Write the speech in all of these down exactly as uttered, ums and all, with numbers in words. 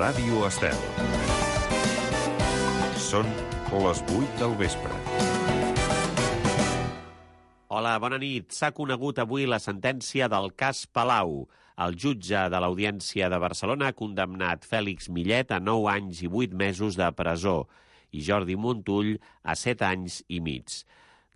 Ràdio Estel. Són les vuit del vespre. Hola, bona nit. S'ha conegut avui la sentència del cas Palau. El jutge de l'Audiència de Barcelona ha condemnat Fèlix Millet a nou anys i vuit mesos de presó i Jordi Montull a set anys i mig.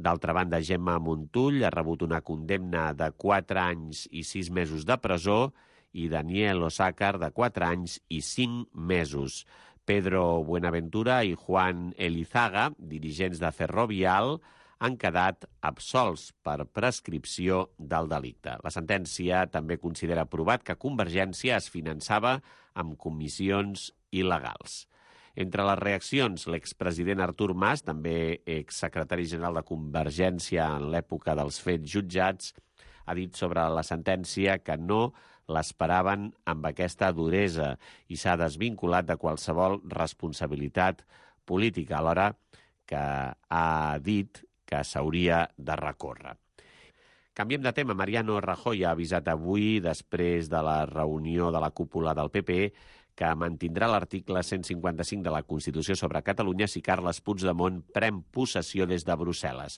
D'altra banda, Gemma Montull ha rebut una condemna de quatre anys i sis mesos de presó i Daniel Osàcar de quatre anys i cinc mesos. Pedro Buenaventura i Juan Elizaga, dirigents de Ferrovial, han quedat absolts per prescripció del delicte. La sentència també considera provat que Convergència es finançava amb comissions il·legals. Entre les reaccions, l'expresident Artur Mas, també exsecretari general de Convergència en l'època dels fets jutjats, ha dit sobre la sentència que no l'esperaven amb aquesta duresa i s'ha desvinculat de qualsevol responsabilitat política, alhora que ha dit que s'hauria de recórrer. Canviem de tema. Mariano Rajoy ha avisat avui, després de la reunió de la cúpula del P P, que mantindrà l'article cent cinquanta-cinc de la Constitució sobre Catalunya si Carles Puigdemont pren possessió des de Brussel·les.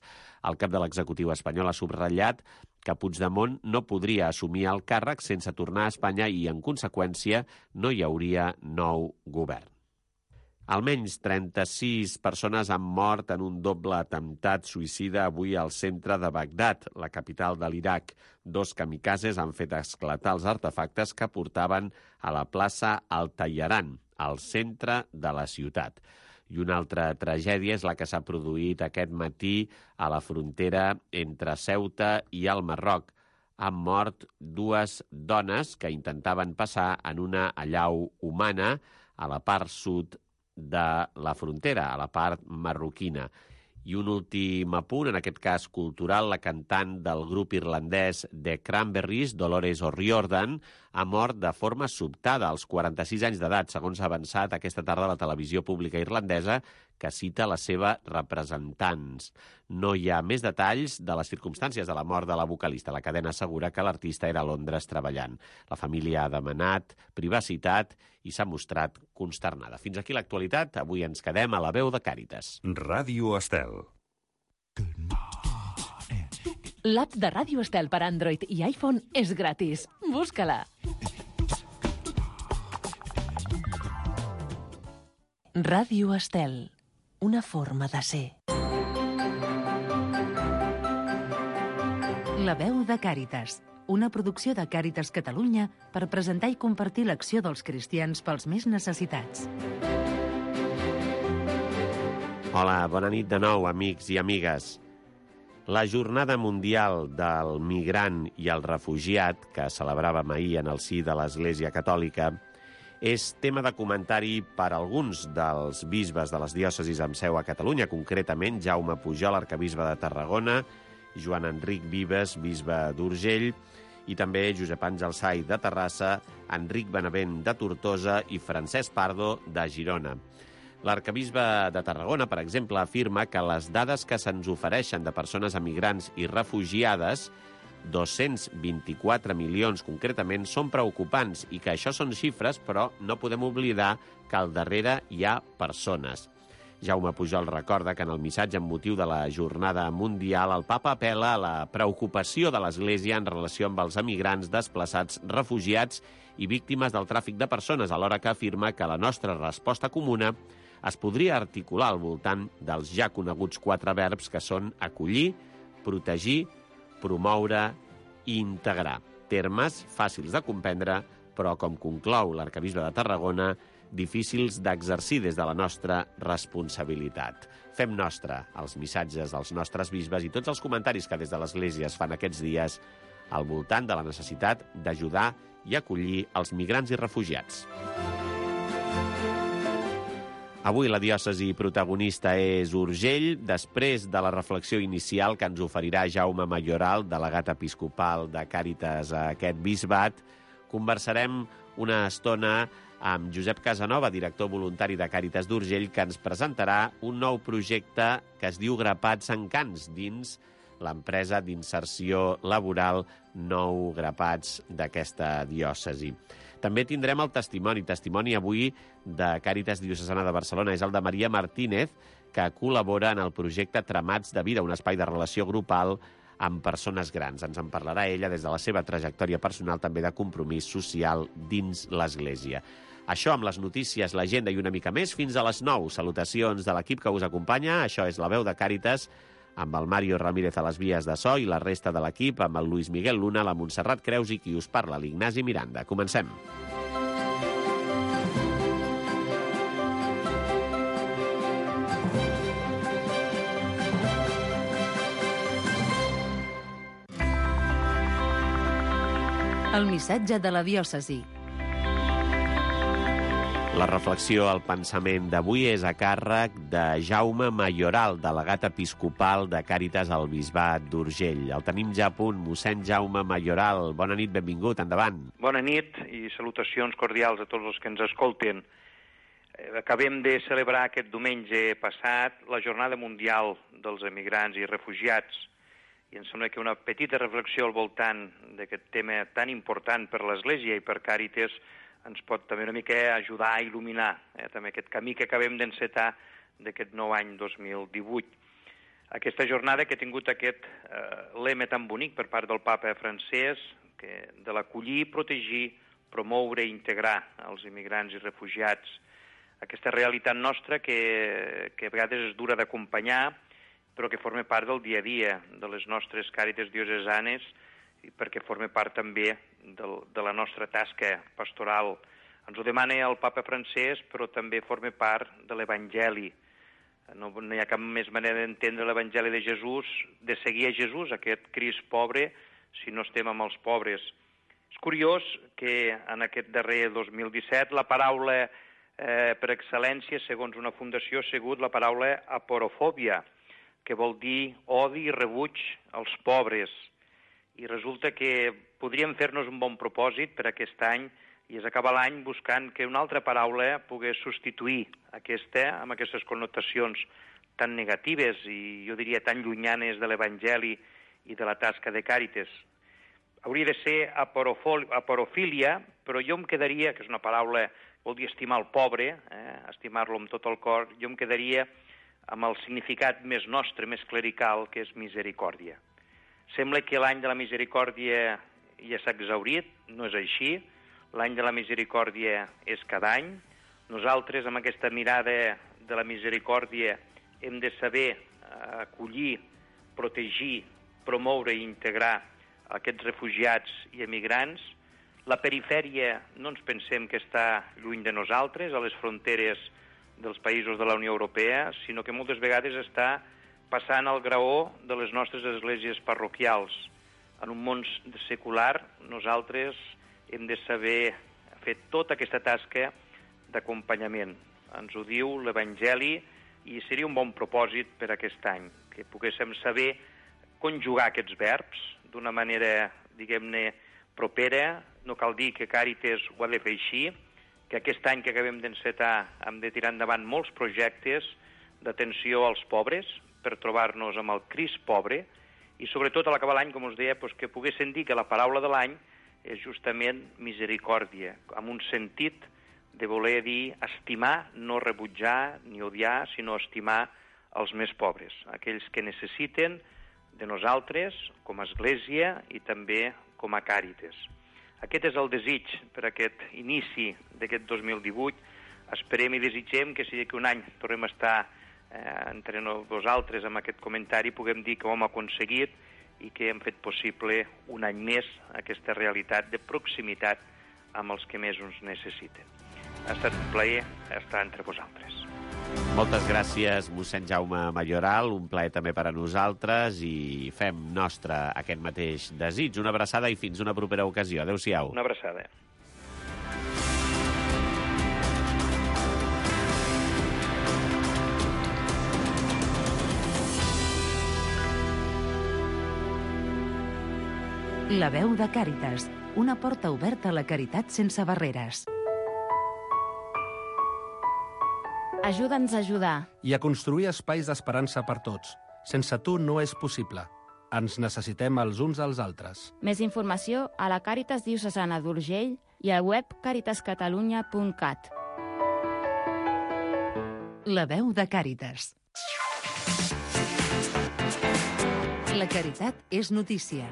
El cap de l'executiu espanyol ha subratllat que Puigdemont no podria assumir el càrrec sense tornar a Espanya i, en conseqüència, no hi hauria nou govern. Almenys trenta-sis persones han mort en un doble atemptat suïcida avui al centre de Bagdad, la capital de l'Iraq. Dos kamikazes han fet esclatar els artefactes que portaven a la plaça Al-Tayaran, al centre de la ciutat. I una altra tragèdia és la que s'ha produït aquest matí a la frontera entre Ceuta i el Marroc. Han mort dues dones que intentaven passar en una allau humana a la part sud de la frontera, a la part marroquina. I un últim apunt, en aquest cas cultural, la cantant del grup irlandès The Cranberries, Dolores O'Riordan, ha mort de forma sobtada als quaranta-sis anys d'edat, segons ha avançat aquesta tarda la televisió pública irlandesa, que cita les seves representants. No hi ha més detalls de les circumstàncies de la mort de la vocalista. La cadena assegura que l'artista era a Londres treballant. La família ha demanat privacitat i s'ha mostrat consternada. Fins aquí l'actualitat. Avui ens quedem a la veu de Càritas. Ràdio Estel. L'app de Ràdio Estel per Android i iPhone és gratis. Busca-la. Ràdio Estel. Una forma de ser. La veu de Càritas, una producció de Càritas Catalunya per presentar i compartir l'acció dels cristians pels més necessitats. Hola, bona nit de nou, amics i amigues. La Jornada Mundial del Migrant i el Refugiat, que celebràvem ahir en el si de l'Església Catòlica, és tema de comentari per alguns dels bisbes de les diòcesis amb seu a Catalunya, concretament Jaume Pujol, arquebisbe de Tarragona, Joan Enric Vives, bisbe d'Urgell, i també Josep Àngel Sai de Terrassa, Enric Benavent de Tortosa i Francesc Pardo de Girona. L'arquebisbe de Tarragona, per exemple, afirma que les dades que se'ns ofereixen de persones emigrants i refugiades, dos-cents vint-i-quatre milions concretament, són preocupants i que això són xifres, però no podem oblidar que al darrere hi ha persones. Jaume Pujol recorda que en el missatge amb motiu de la Jornada Mundial el papa apel·la a la preocupació de l'Església en relació amb els emigrants, desplaçats, refugiats i víctimes del tràfic de persones, alhora que afirma que la nostra resposta comuna es podria articular al voltant dels ja coneguts quatre verbs que són acollir, protegir, promoure i integrar. Termes fàcils de comprendre, però, com conclou l'arquebisbe de Tarragona, difícils d'exercir des de la nostra responsabilitat. Fem nostre els missatges dels nostres bisbes i tots els comentaris que des de l'Església es fan aquests dies al voltant de la necessitat d'ajudar i acollir els migrants i refugiats. Avui la diòcesi protagonista és Urgell, després de la reflexió inicial que ens oferirà Jaume Mayoral, delegat episcopal de Càritas a aquest bisbat. Conversarem una estona amb Josep Casanova, director voluntari de Càritas d'Urgell, que ens presentarà un nou projecte que es diu Grapats en Cants, dins l'empresa d'inserció laboral Nou Grapats d'aquesta diòcesi. També tindrem el testimoni, testimoni avui de Càritas Diocesana de Barcelona. És el de Maria Martínez, que col·labora en el projecte Tramats de Vida, un espai de relació grupal amb persones grans. Ens en parlarà ella des de la seva trajectòria personal, també de compromís social dins l'Església. Això amb les notícies, l'agenda i una mica més fins a les nou. Salutacions de l'equip que us acompanya. Això és La Veu de Càritas, amb el Mario Ramírez a les vies de so i la resta de l'equip, amb el Luis Miguel Luna, la Montserrat Creus i qui us parla, l'Ignasi Miranda. Comencem. El missatge de la diòcesi. La reflexió al pensament d'avui és a càrrec de Jaume Mayoral, delegat episcopal de Càritas al Bisbat d'Urgell. El tenim ja a punt. Mossèn Jaume Mayoral, bona nit, benvingut, endavant. Bona nit i salutacions cordials a tots els que ens escolten. Acabem de celebrar aquest diumenge passat la Jornada Mundial dels Emigrants i Refugiats i em sembla que una petita reflexió al voltant d'aquest tema tan important per l'Església i per Càritas ens pot també una mica ajudar a il·luminar eh, també aquest camí que acabem d'encetar d'aquest nou any dos mil divuit. Aquesta jornada que ha tingut aquest eh, lema tan bonic per part del papa francès, que de l'acollir, protegir, promoure i integrar els immigrants i refugiats. Aquesta realitat nostra que, que a vegades és dura d'acompanyar, però que forma part del dia a dia de les nostres càritas diocesanes i perquè forma part també del, de la nostra tasca pastoral. Ens ho demana el papa francès, però també forma part de l'Evangeli. No, no hi ha cap més manera d'entendre l'Evangeli de Jesús, de seguir a Jesús, aquest Crist pobre, si no estem amb els pobres. És curiós que en aquest darrer dos mil disset la paraula eh, per excel·lència, segons una fundació, ha sigut la paraula aporofòbia, que vol dir odi i rebuig als pobres. I resulta que podríem fer-nos un bon propòsit per aquest any i és acabar l'any buscant que una altra paraula pogués substituir aquesta amb aquestes connotacions tan negatives i jo diria tan llunyanes de l'Evangeli i de la tasca de Càritas. Hauria de ser aporofília, però jo em quedaria, que és una paraula, vol dir estimar el pobre, eh, estimar-lo amb tot el cor, jo em quedaria amb el significat més nostre, més clerical, que és misericòrdia. Sembla que l'any de la misericòrdia ja s'ha exhaurit, no és així. L'any de la misericòrdia és cada any. Nosaltres, amb aquesta mirada de la misericòrdia, hem de saber acollir, protegir, promoure i integrar aquests refugiats i emigrants. La perifèria no ens pensem que està lluny de nosaltres, a les fronteres dels països de la Unió Europea, sinó que moltes vegades està passant al graó de les nostres esglésies parroquials. En un món secular, nosaltres hem de saber fer tota aquesta tasca d'acompanyament. Ens ho diu l'Evangeli i seria un bon propòsit per aquest any, que poguéssim saber conjugar aquests verbs d'una manera, diguem-ne, propera. No cal dir que Càritas ho ha de fer així, que aquest any que acabem d'encetar hem de tirar endavant molts projectes d'atenció als pobres, per trobar-nos amb el Crist pobre, i sobretot a l'acabar l'any, com us deia, doncs que poguessin dir que la paraula de l'any és justament misericòrdia, amb un sentit de voler dir estimar, no rebutjar ni odiar, sinó estimar els més pobres, aquells que necessiten de nosaltres com a Església i també com a Càritas. Aquest és el desig per aquest inici d'aquest dos mil divuit. Esperem i desitgem que si d'aquí un any tornem a estar Eh, entre vosaltres amb aquest comentari puguem dir que ho hem aconseguit i que hem fet possible un any més aquesta realitat de proximitat amb els que més ens necessiten. Ha estat un plaer estar entre vosaltres. Moltes gràcies, mossèn Jaume Mayoral, un plaer també per a nosaltres i fem nostre aquest mateix desig. Una abraçada i fins una propera ocasió. Adéu-siau. Una abraçada. La veu de Càritas, una porta oberta a la caritat sense barreres. Ajuda'ns a ajudar. I a construir espais d'esperança per tots. Sense tu no és possible. Ens necessitem els uns als altres. Més informació a la Càritas Diocesana d'Urgell i al web caritas catalunya punt cat. La veu de Càritas. La caritat és notícia.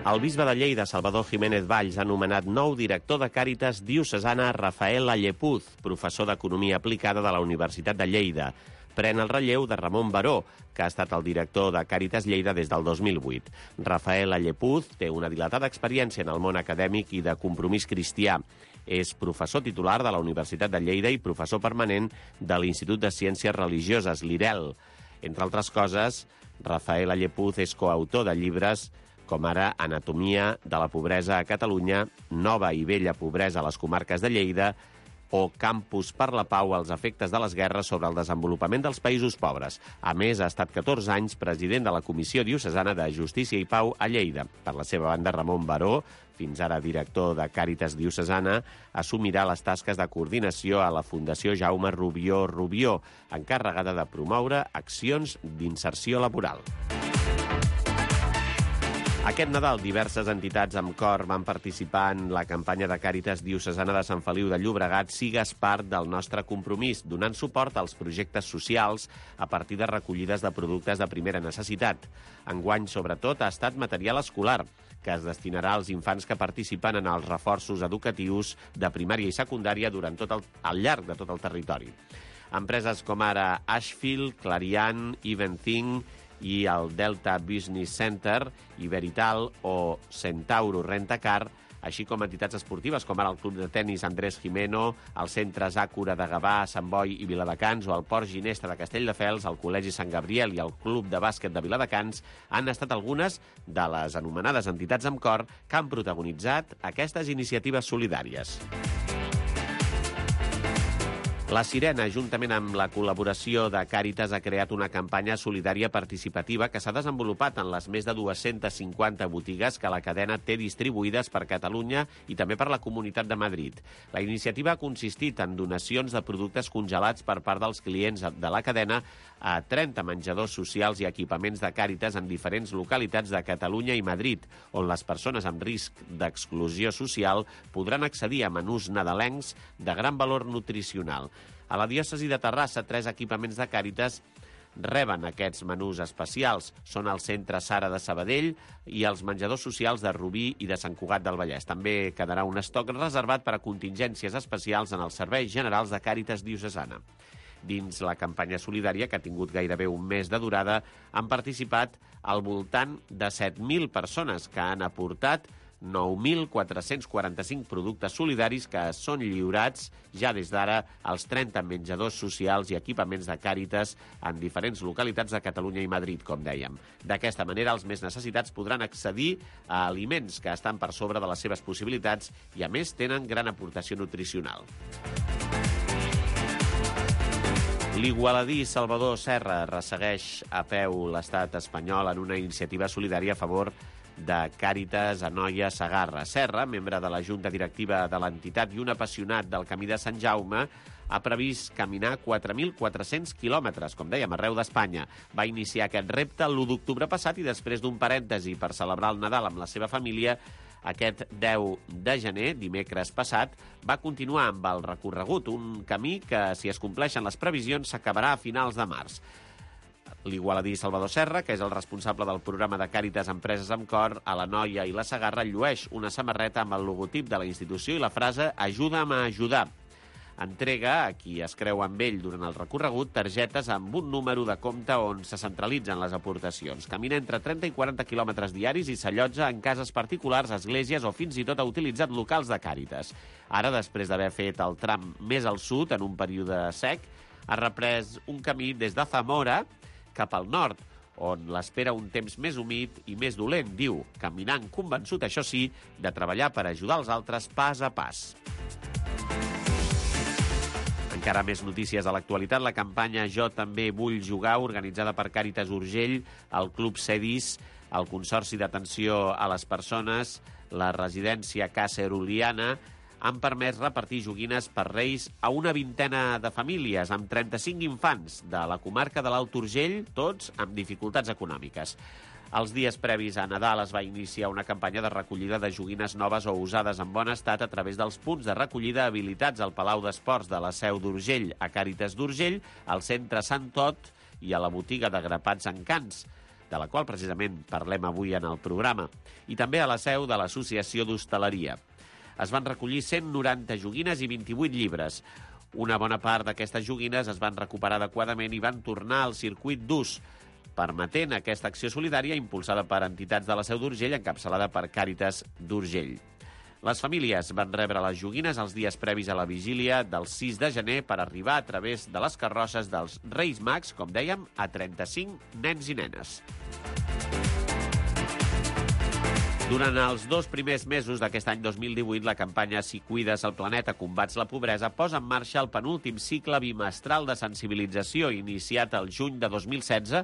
El bisbe de Lleida, Salvador Jiménez Valls, ha nomenat nou director de Càritas Diocesana Rafael Allepuz, professor d'Economia Aplicada de la Universitat de Lleida. Pren el relleu de Ramon Baró, que ha estat el director de Càritas Lleida des del dos mil vuit. Rafael Allepuz té una dilatada experiència en el món acadèmic i de compromís cristià. És professor titular de la Universitat de Lleida i professor permanent de l'Institut de Ciències Religioses, l'I R E L. Entre altres coses, Rafael Allepuz és coautor de llibres com ara Anatomia de la pobresa a Catalunya, Nova i vella pobresa a les comarques de Lleida o Campus per la pau als efectes de les guerres sobre el desenvolupament dels països pobres. A més, ha estat catorze anys president de la Comissió Diocesana de Justícia i Pau a Lleida. Per la seva banda, Ramon Baró, fins ara director de Càritas Diocesana, assumirà les tasques de coordinació a la Fundació Jaume Rubió Rubió, encarregada de promoure accions d'inserció laboral. Aquest Nadal, diverses entitats amb cor van participar en la campanya de Càritas Diocesana de Sant Feliu de Llobregat Sigues part del nostre compromís, donant suport als projectes socials a partir de recollides de productes de primera necessitat. Enguany, sobretot, ha estat material escolar, que es destinarà als infants que participen en els reforços educatius de primària i secundària durant tot el, al llarg de tot el territori. Empreses com ara Ashfield, Clariant, Eventhing i el Delta Business Center, Iberital o Centauro Rentacar, així com entitats esportives com ara el Club de Tenis Andrés Jimeno, el Centre Zàcora de Gavà, Sant Boi i Viladecans o el Port Ginesta de Castelldefels, el Col·legi Sant Gabriel i el Club de Bàsquet de Viladecans han estat algunes de les anomenades entitats amb cor que han protagonitzat aquestes iniciatives solidàries. La Sirena, juntament amb la col·laboració de Càritas, ha creat una campanya solidària participativa que s'ha desenvolupat en les més de dues-centes cinquanta botigues que la cadena té distribuïdes per Catalunya i també per la Comunitat de Madrid. La iniciativa ha consistit en donacions de productes congelats per part dels clients de la cadena a trenta menjadors socials i equipaments de Càritas en diferents localitats de Catalunya i Madrid, on les persones amb risc d'exclusió social podran accedir a menús nadalencs de gran valor nutricional. A la diòcesi de Terrassa, tres equipaments de Càritas reben aquests menús especials. Són el Centre Sara de Sabadell i els menjadors socials de Rubí i de Sant Cugat del Vallès. També quedarà un estoc reservat per a contingències especials en els serveis generals de Càritas Diocesana. Dins la campanya solidària, que ha tingut gairebé un mes de durada, han participat al voltant de set mil persones que han aportat nou mil quatre-cents quaranta-cinc productes solidaris que són lliurats ja des d'ara als trenta menjadors socials i equipaments de Càritas en diferents localitats de Catalunya i Madrid, com dèiem. D'aquesta manera, els més necessitats podran accedir a aliments que estan per sobre de les seves possibilitats i, a més, tenen gran aportació nutricional. L'igualadí Salvador Serra ressegueix a peu l'estat espanyol en una iniciativa solidària a favor de Càritas Anoia Segarra. Serra, membre de la Junta Directiva de l'entitat i un apassionat del Camí de Sant Jaume, ha previst caminar quatre mil quatre-cents quilòmetres, com dèiem, arreu d'Espanya. Va iniciar aquest repte l'u d'octubre passat i després d'un parèntesi per celebrar el Nadal amb la seva família, aquest deu de gener, dimecres passat, va continuar amb el recorregut, un camí que, si es compleixen les previsions, s'acabarà a finals de març. L'igualadí Salvador Serra, que és el responsable del programa de Càritas Empreses amb Cor a la Noia i la Segarra, llueix una samarreta amb el logotip de la institució i la frase «Ajuda'm a ajudar». Entrega a qui es creu amb ell durant el recorregut targetes amb un número de compte on se centralitzen les aportacions. Camina entre trenta i quaranta quilòmetres diaris i s'allotja en cases particulars, esglésies o fins i tot ha utilitzat locals de Càritas. Ara, després d'haver fet el tram més al sud en un període sec, ha reprès un camí des de Zamora cap al nord, on l'espera un temps més humit i més dolent, diu, caminant convençut, això sí, de treballar per ajudar els altres pas a pas. Encara més notícies a l'actualitat. La campanya Jo també vull jugar, organitzada per Càritas Urgell, el Club Cedis, el Consorci d'Atenció a les Persones, la residència Casa Eruliana, han permès repartir joguines per Reis a una vintena de famílies, amb trenta-cinc infants de la comarca de l'Alt Urgell, tots amb dificultats econòmiques. Els dies previs a Nadal es va iniciar una campanya de recollida de joguines noves o usades en bon estat a través dels punts de recollida habilitats al Palau d'Esports de la Seu d'Urgell, a Càritas d'Urgell, al Centre Sant Tot i a la botiga de grapats Encants, de la qual precisament parlem avui en el programa, i també a la seu de l'Associació d'Hostaleria. Es van recollir cent noranta joguines i vint-i-vuit llibres. Una bona part d'aquestes joguines es van recuperar adequadament i van tornar al circuit d'ús, permetent aquesta acció solidària impulsada per entitats de la Seu d'Urgell, encapçalada per Càritas d'Urgell. Les famílies van rebre les joguines els dies previs a la vigília del sis de gener per arribar a través de les carrosses dels Reis Mags, com dèiem, a trenta-cinc nens i nenes. Durant els dos primers mesos d'aquest any dos mil divuit, la campanya Si cuides el planeta, combats la pobresa, posa en marxa el penúltim cicle bimestral de sensibilització iniciat el juny de dos mil setze,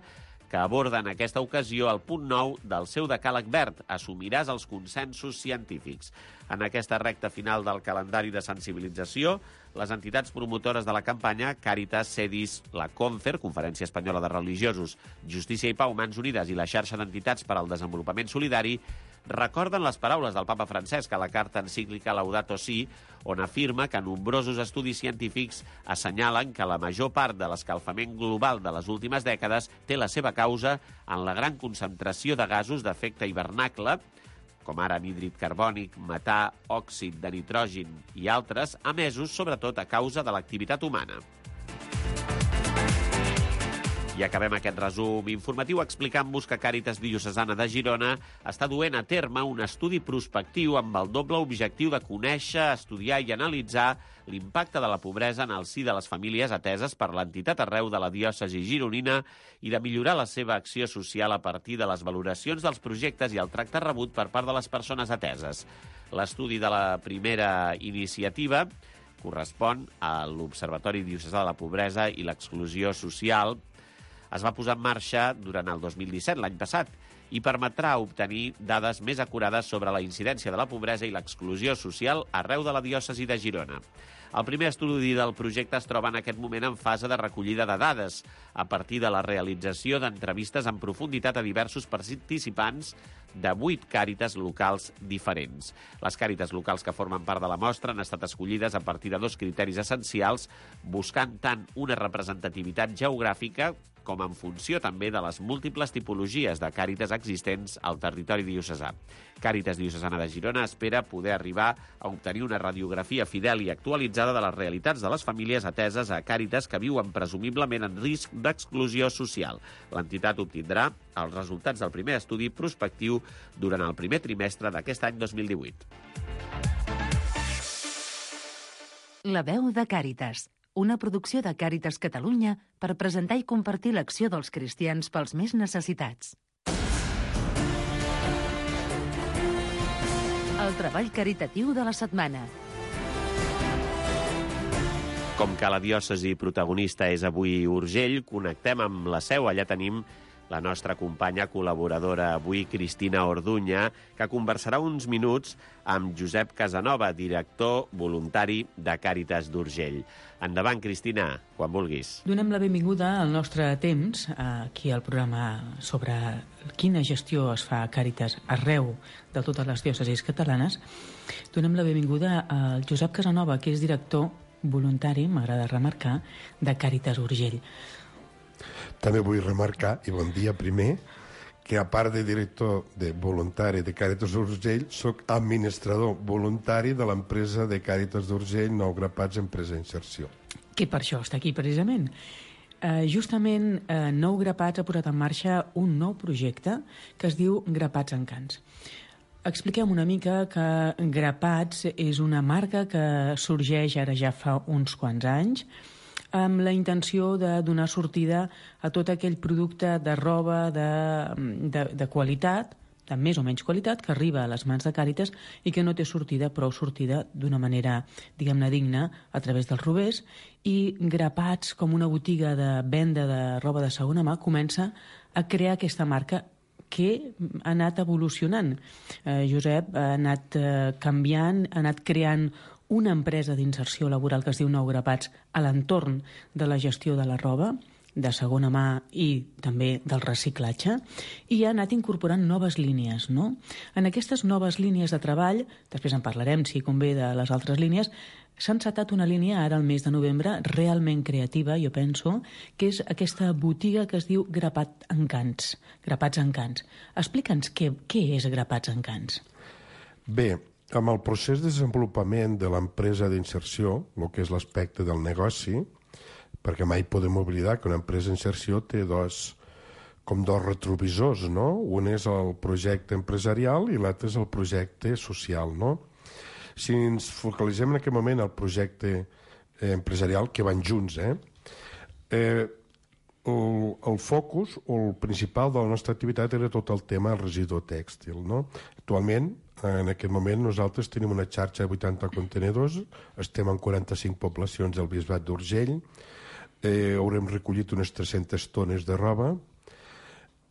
que aborda en aquesta ocasió el punt nou del seu decàleg verd, assumiràs els consensos científics. En aquesta recta final del calendari de sensibilització, les entitats promotores de la campanya, Càritas, CEDIS, la CONFER, Conferència Espanyola de Religiosos, Justícia i Pau, Mans Unides i la xarxa d'entitats per al desenvolupament solidari, recorden les paraules del papa Francesc a la carta encíclica Laudato Si, on afirma que nombrosos estudis científics assenyalen que la major part de l'escalfament global de les últimes dècades té la seva causa en la gran concentració de gasos d'efecte hivernacle, com ara anhídrid carbònic, metà, òxid de nitrogen i altres, emesos sobretot a causa de l'activitat humana. I acabem aquest resum informatiu explicant-vos que Càritas Diocesana de Girona està duent a terme un estudi prospectiu amb el doble objectiu de conèixer, estudiar i analitzar l'impacte de la pobresa en el si de les famílies ateses per l'entitat arreu de la diòcesi gironina i de millorar la seva acció social a partir de les valoracions dels projectes i el tracte rebut per part de les persones ateses. L'estudi de la primera iniciativa correspon a l'Observatori Diocesà de la Pobresa i l'Exclusió Social. Es va posar en marxa durant el dos mil disset, l'any passat, i permetrà obtenir dades més acurades sobre la incidència de la pobresa i l'exclusió social arreu de la diòcesi de Girona. El primer estudi del projecte es troba en aquest moment en fase de recollida de dades, a partir de la realització d'entrevistes en profunditat a diversos participants de vuit càritas locals diferents. Les càritas locals que formen part de la mostra han estat escollides a partir de dos criteris essencials, buscant tant una representativitat geogràfica com en funció també de les múltiples tipologies de càritas existents al territori diocesà. Càritas Diocesana de Girona espera poder arribar a obtenir una radiografia fidel i actualitzada de les realitats de les famílies ateses a càritas que viuen presumiblement en risc d'exclusió social. L'entitat obtindrà els resultats del primer estudi prospectiu durant el primer trimestre d'aquest any dos mil divuit. La veu de Càritas, una producció de Càritas Catalunya per presentar i compartir l'acció dels cristians pels més necessitats. El treball caritatiu de la setmana. Com que la diòcesi protagonista és avui Urgell, connectem amb la Seu. Allà tenim la nostra companya col·laboradora avui, Cristina Orduña, que conversarà uns minuts amb Josep Casanova, director voluntari de Càritas d'Urgell. Endavant, Cristina, quan vulguis. Donem la benvinguda al nostre temps, aquí al programa sobre quina gestió es fa a Càritas arreu de totes les diòcesis catalanes. Donem la benvinguda al Josep Casanova, que és director voluntari, m'agrada remarcar, de Càritas Urgell. També vull remarcar, i bon dia primer, que a part de director de voluntari de Càritas d'Urgell, soc administrador voluntari de l'empresa de Càritas d'Urgell, Nou Grapats, Empresa Inserció. Que per això està aquí, precisament. Uh, justament, uh, Nou Grapats ha posat en marxa un nou projecte que es diu Grapats Encants. Expliquem una mica que Grapats és una marca que sorgeix ara ja fa uns quants anys, amb la intenció de donar sortida a tot aquell producte de roba de, de, de qualitat, de més o menys qualitat, que arriba a les mans de Càritas i que no té sortida, prou sortida d'una manera, diguem-ne, digna a través dels rovers. I Grapats, com una botiga de venda de roba de segona mà, comença a crear aquesta marca que ha anat evolucionant. Eh, Josep ha anat eh, canviant, ha anat creant una empresa d'inserció laboral que es diu Nou Grapats a l'entorn de la gestió de la roba, de segona mà i també del reciclatge, i ha anat incorporant noves línies, no? En aquestes noves línies de treball, després en parlarem, si convé, de les altres línies, s'ha encetat una línia ara al mes de novembre realment creativa, jo penso, que és aquesta botiga que es diu Grapat Encants. Grapats Encants. Explica'ns què, què és Grapats Encants. Bé, amb el procés de desenvolupament de l'empresa d'inserció, el que és l'aspecte del negoci, perquè mai podem oblidar que una empresa d'inserció té dos, com dos retrovisors, no? Un és el projecte empresarial i l'altre és el projecte social, no? Si ens focalitzem en aquest moment al projecte eh, empresarial, que van junts, eh? eh el, el focus o el principal de la nostra activitat era tot el tema del residu tèxtil, no? Actualment, en aquest moment, nosaltres tenim una xarxa de vuitanta contenedors, estem en quaranta-cinc poblacions del Bisbat d'Urgell, eh, haurem recollit unes tres-centes tones de roba,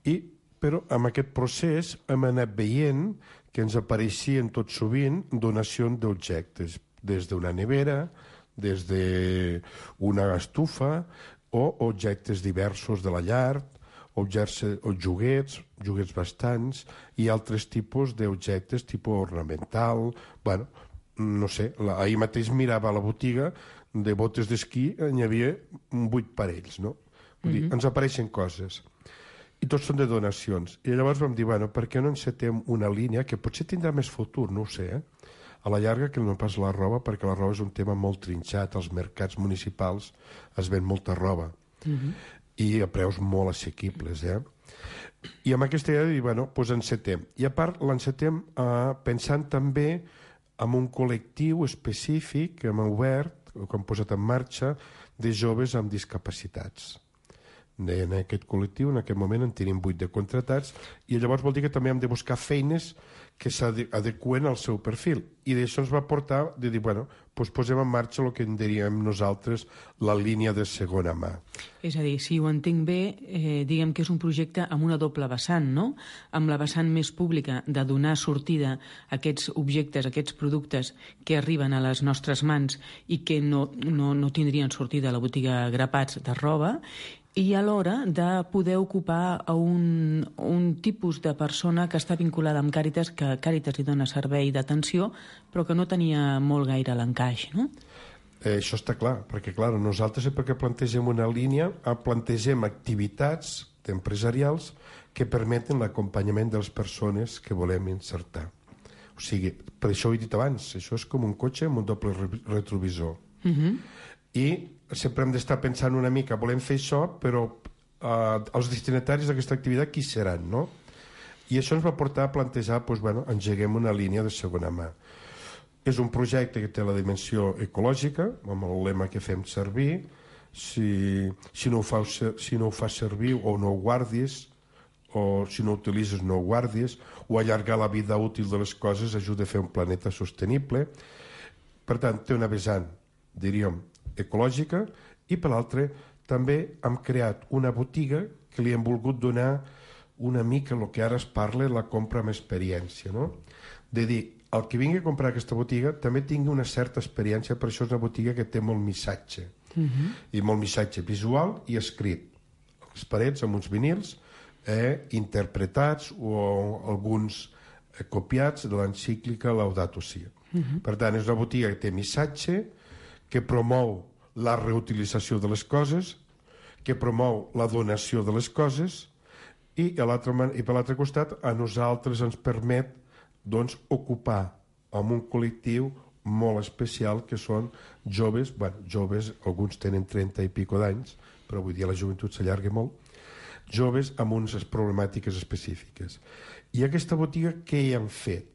i, però amb aquest procés hem anat veient que ens apareixien tot sovint donacions d'objectes, des d'una nevera, des d'una estufa, o objectes diversos de la llar, objectes, o joguets, joguets bastants, i altres tipus d'objectes, tipus ornamental, bueno, no sé, la, ahir mateix mirava a la botiga de botes d'esquí, n'hi havia vuit parells, no? Vull dir, mm-hmm. ens apareixen coses. I tots són de donacions. I llavors vam dir, bueno, per què no encetem una línia que potser tindrà més futur, no ho sé, eh? A la llarga que no pas la roba, perquè la roba és un tema molt trinxat, als mercats municipals es ven molta roba, mm-hmm. i a preus molt assequibles, eh? I amb aquesta idea de dir, bueno, doncs encetem. I a part l'encetem eh, pensant també en un col·lectiu específic que hem obert, o que hem posat en marxa, de joves amb discapacitats. En aquest col·lectiu, en aquest moment, en tenim vuit de contratats, i llavors vol dir que també hem de buscar feines que s'adeqüen al seu perfil. I d'això ens va portar de dir, bueno, doncs posem en marxa el que en diríem nosaltres la línia de segona mà. És a dir, si ho entenc bé, eh, diguem que és un projecte amb una doble vessant, no? Amb la vessant més pública de donar sortida a aquests objectes, a aquests productes que arriben a les nostres mans i que no, no, no tindrien sortida a la botiga Grapats de roba, i alhora de poder ocupar a un, un tipus de persona que està vinculada amb Càritas, que Càritas hi dona servei d'atenció, però que no tenia molt gaire l'encaix, no? Eh, això està clar, perquè clar, nosaltres sempre que plantegem una línia, plantegem activitats empresarials que permeten l'acompanyament de les persones que volem insertar. O sigui, per això ho he dit abans, això és com un cotxe amb un doble retrovisor. Uh-huh. I sempre hem d'estar pensant una mica, volem fer això, però eh, els destinataris d'aquesta activitat qui seran, no? I això ens va portar a plantejar, doncs, bueno, engeguem una línia de segona mà. És un projecte que té la dimensió ecològica, amb el lema que fem servir, si, si, no, ho fa, si no ho fas servir o no ho guardis, o si no ho utilitzes no ho guardis, o allargar la vida útil de les coses ajuda a fer un planeta sostenible. Per tant, té una vessant, diríem, ecològica, i per l'altre també hem creat una botiga que li hem volgut donar una mica el que ara es parla, la compra amb experiència, no? De dir, el que vingui a comprar aquesta botiga també tingui una certa experiència, per això és una botiga que té molt missatge, uh-huh. i molt missatge visual i escrit. Les parets amb uns vinils eh, interpretats o alguns eh, copiats de l'encíclica Laudato Si. Uh-huh. Per tant, és una botiga que té missatge, que promou la reutilització de les coses, que promou la donació de les coses, i, a i per l'altre costat a nosaltres ens permet doncs, ocupar amb un col·lectiu molt especial que són joves, bueno, joves, alguns tenen trenta i pico d'anys, però avui dia la joventut s'allarga molt, joves amb unes problemàtiques específiques. I aquesta botiga, què hi han fet?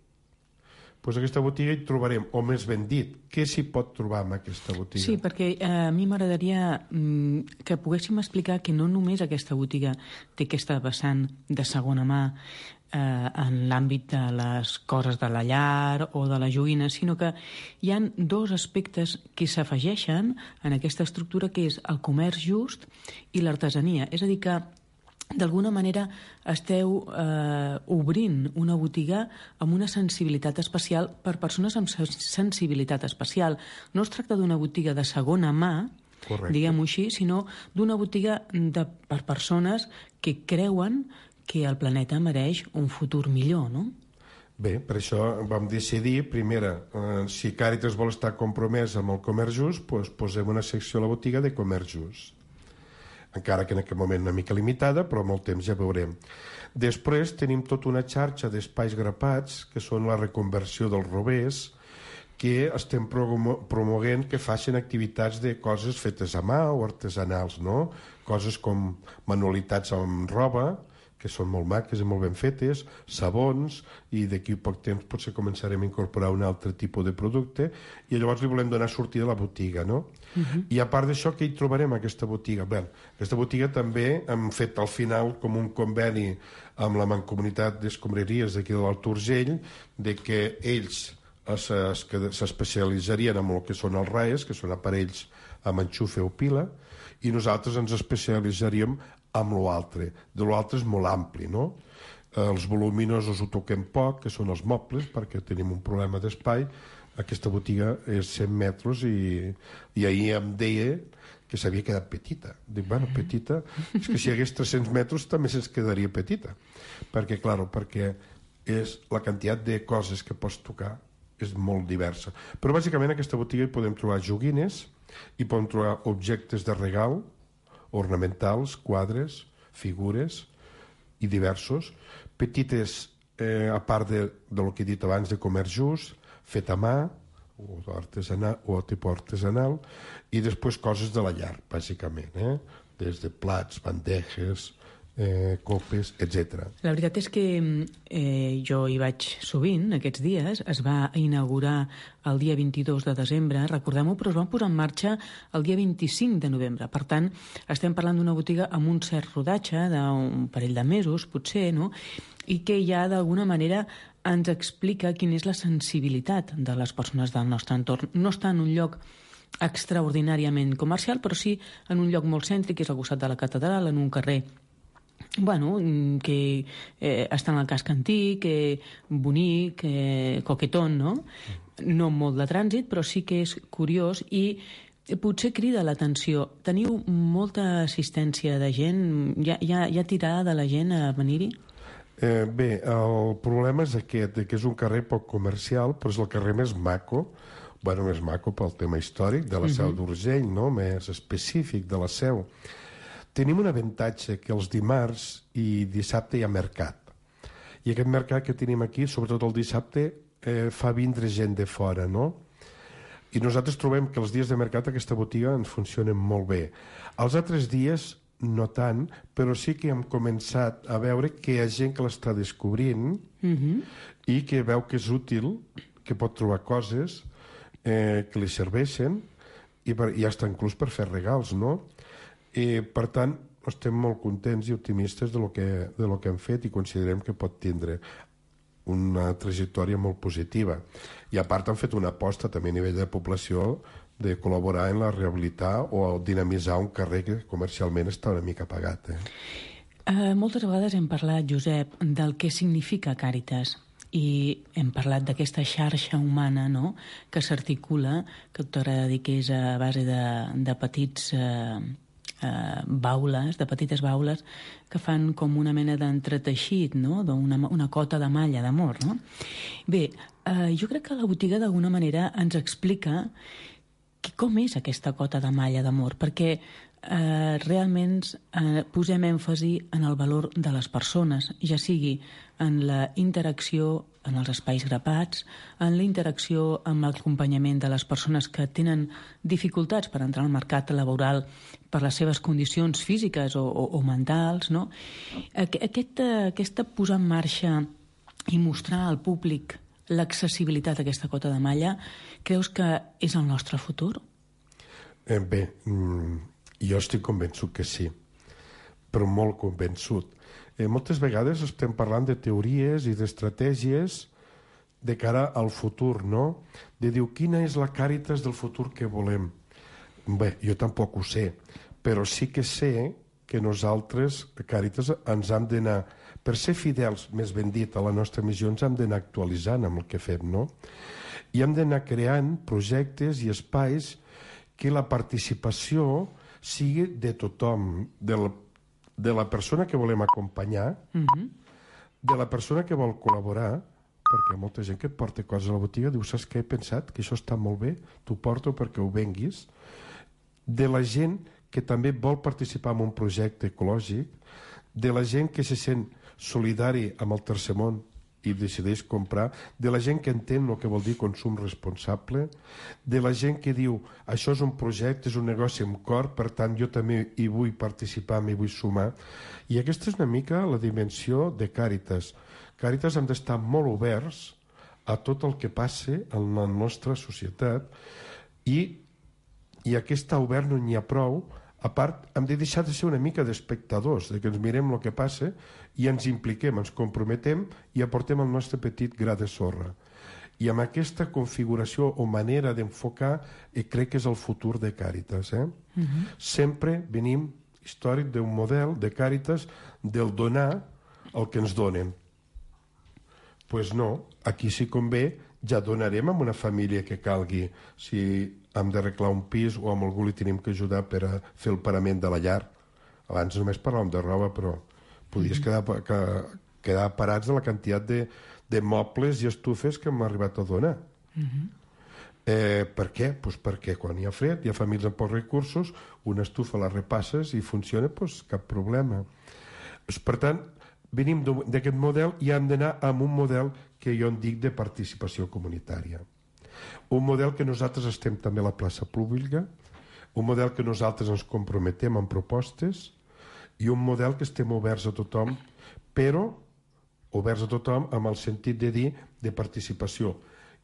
Doncs aquesta botiga hi trobarem, o més ben dit, què s'hi pot trobar en aquesta botiga? Sí, perquè eh, a mi m'agradaria mm, que poguéssim explicar que no només aquesta botiga té aquesta vessant de segona mà eh, en l'àmbit de les coses de la llar o de la joguina, sinó que hi han dos aspectes que s'afegeixen en aquesta estructura, que és el comerç just i l'artesania. És a dir que d'alguna manera esteu eh, obrint una botiga amb una sensibilitat especial per persones amb sensibilitat especial. No es tracta d'una botiga de segona mà, diguem-ho així, sinó d'una botiga de, per persones que creuen que el planeta mereix un futur millor, no? Bé, per això vam decidir, primera, eh, si Càritas vol estar compromès amb el comerç just, doncs posem una secció a la botiga de comerç just. Encara que en aquest moment una mica limitada, però amb el temps ja veurem. Després tenim tota una xarxa d'espais grapats, que són la reconversió dels rovers, que estem promoguent que facin activitats de coses fetes a mà o artesanals, no? Coses com manualitats amb roba, que són molt maques i molt ben fetes, sabons, i d'aquí a poc temps potser començarem a incorporar un altre tipus de producte, i llavors li volem donar sortida a la botiga, no? Uh-huh. I a part d'això, què hi trobarem a aquesta botiga? Bé, aquesta botiga també hem fet al final com un conveni amb la Mancomunitat d'Escombraries d'aquí de l'Alt Urgell, de que ells s'especialitzarien en el que són els R A E S, que són aparells amb enxufe o pila, i nosaltres ens especialitzaríem amb l'altre. De l'altre és molt ampli, no? Els voluminosos ho toquem poc, que són els mobles, perquè tenim un problema d'espai. Aquesta botiga és cent metres i, i ahir em deia que s'havia quedat petita. Dic, bueno, petita, és que si hi hagués tres-cents metres també se'ns quedaria petita. Perquè, clar, perquè és la quantitat de coses que pots tocar és molt diversa. Però bàsicament a aquesta botiga hi podem trobar joguines, hi podem trobar objectes de regal, ornamentals, quadres, figures i diversos, petites, eh, a part de, del que he dit abans, de comerç just, fet a mà, o artesanal, o tipus artesanal, i després coses de la llar, bàsicament, eh? Des de plats, bandejes, eh, copes, etcètera. La veritat és que eh, jo hi vaig sovint aquests dies. Es va inaugurar el dia vint-i-dos de desembre, recordem-ho, però es van posar en marxa el dia vint-i-cinc de novembre. Per tant, estem parlant d'una botiga amb un cert rodatge d'un parell de mesos, potser, no? I que ja d'alguna manera ens explica quina és la sensibilitat de les persones del nostre entorn. No està en un lloc extraordinàriament comercial, però sí en un lloc molt cèntric, que és al costat de la catedral, en un carrer bueno, que eh, està en el casc antic, eh, bonic, eh, coquetón, no? No molt de trànsit, però sí que és curiós i potser crida l'atenció. Teniu molta assistència de gent? Hi ha, hi ha, hi ha tirada de la gent a venir-hi? Eh, bé, el problema és aquest, que és un carrer poc comercial, però és el carrer més maco, bueno, més maco pel tema històric de la Seu uh-huh. d'Urgell, no? Més específic de la Seu. Tenim un avantatge que els dimarts i dissabte hi ha mercat. I aquest mercat que tenim aquí, sobretot el dissabte, eh, fa vindre gent de fora, no? I nosaltres trobem que els dies de mercat aquesta botiga ens funcionen molt bé. Els altres dies no tant, però sí que hem començat a veure que hi ha gent que l'està descobrint uh-huh. i que veu que és útil, que pot trobar coses eh, que li serveixen i, per, i hasta inclús per fer regals, no? I, per tant, estem molt contents i optimistes de lo que, de lo que hem fet i considerem que pot tindre una trajectòria molt positiva. I a part han fet una aposta també a nivell de població de col·laborar en la rehabilitar o dinamitzar un carrer que comercialment està una mica apagat. Eh? Uh, moltes vegades hem parlat, Josep, del que significa Càritas i hem parlat d'aquesta xarxa humana, no?, que s'articula, que t'agrada dir que és a base de, de petits... Uh, Uh, baules, de petites baules que fan com una mena d'entreteixit, no? Una, una cota de malla d'amor, no? Bé, uh, jo crec que la botiga d'alguna manera ens explica que, com és aquesta cota de malla d'amor, perquè uh, realment uh, posem èmfasi en el valor de les persones, ja sigui en la interacció en els espais grapats, en la interacció amb l'acompanyament de les persones que tenen dificultats per entrar al mercat laboral per les seves condicions físiques o, o, o mentals, no? Aquest, aquesta posar en marxa i mostrar al públic l'accessibilitat a aquesta cota de malla, creus que és el nostre futur? Eh, bé, jo estic convençut que sí, però molt convençut. Eh, moltes vegades estem parlant de teories i d'estratègies de cara al futur, no? De dir, quina és la Càritas del futur que volem? Bé, jo tampoc ho sé, però sí que sé que nosaltres, Càritas, ens hem d'anar, per ser fidels, més ben dit, a la nostra missió, ens hem d'anar actualitzant amb el que fem, no? I hem d'anar creant projectes i espais que la participació sigui de tothom, de la, de la persona que volem acompanyar, mm-hmm. de la persona que vol col·laborar, perquè hi ha molta gent que et porta coses a la botiga, diu, saps què he pensat? Que això està molt bé, t'ho porto perquè ho venguis. De la gent que també vol participar en un projecte ecològic, de la gent que se sent solidari amb el tercer món i decideix comprar, de la gent que entén el que vol dir consum responsable, de la gent que diu això és un projecte, és un negoci amb cor, per tant jo també hi vull participar, m'hi vull sumar. I aquesta és una mica la dimensió de Càritas. Càritas hem d'estar molt oberts a tot el que passe en la nostra societat i, i aquest obert no n'hi ha prou. A part, hem de deixar de ser una mica d'espectadors, de que ens mirem el que passa i ens impliquem, ens comprometem i aportem el nostre petit gra de sorra. I amb aquesta configuració o manera d'enfocar eh, crec que és el futur de Càritas. Eh? Uh-huh. Sempre venim històric d'un model de Càritas del donar el que ens donen. Doncs pues no, aquí si convé ja donarem a una família que calgui, si hem d'arreglar un pis o amb algú li tenim que ajudar per a fer el parament de la llar. Abans només parlàvem de roba, però podies quedar, que, quedar parats de la quantitat de, de mobles i estufes que hem arribat a donar. Uh-huh. eh, per què? Pues perquè quan hi ha fred, hi ha famílies amb pocs recursos, una estufa la repasses i funciona, pues cap problema. Per tant, venim d'aquest model i hem d'anar amb un model que jo en dic de participació comunitària. Un model que nosaltres estem també a la plaça pública, un model que nosaltres ens comprometem amb propostes i un model que estem oberts a tothom, però oberts a tothom amb el sentit de dir de participació.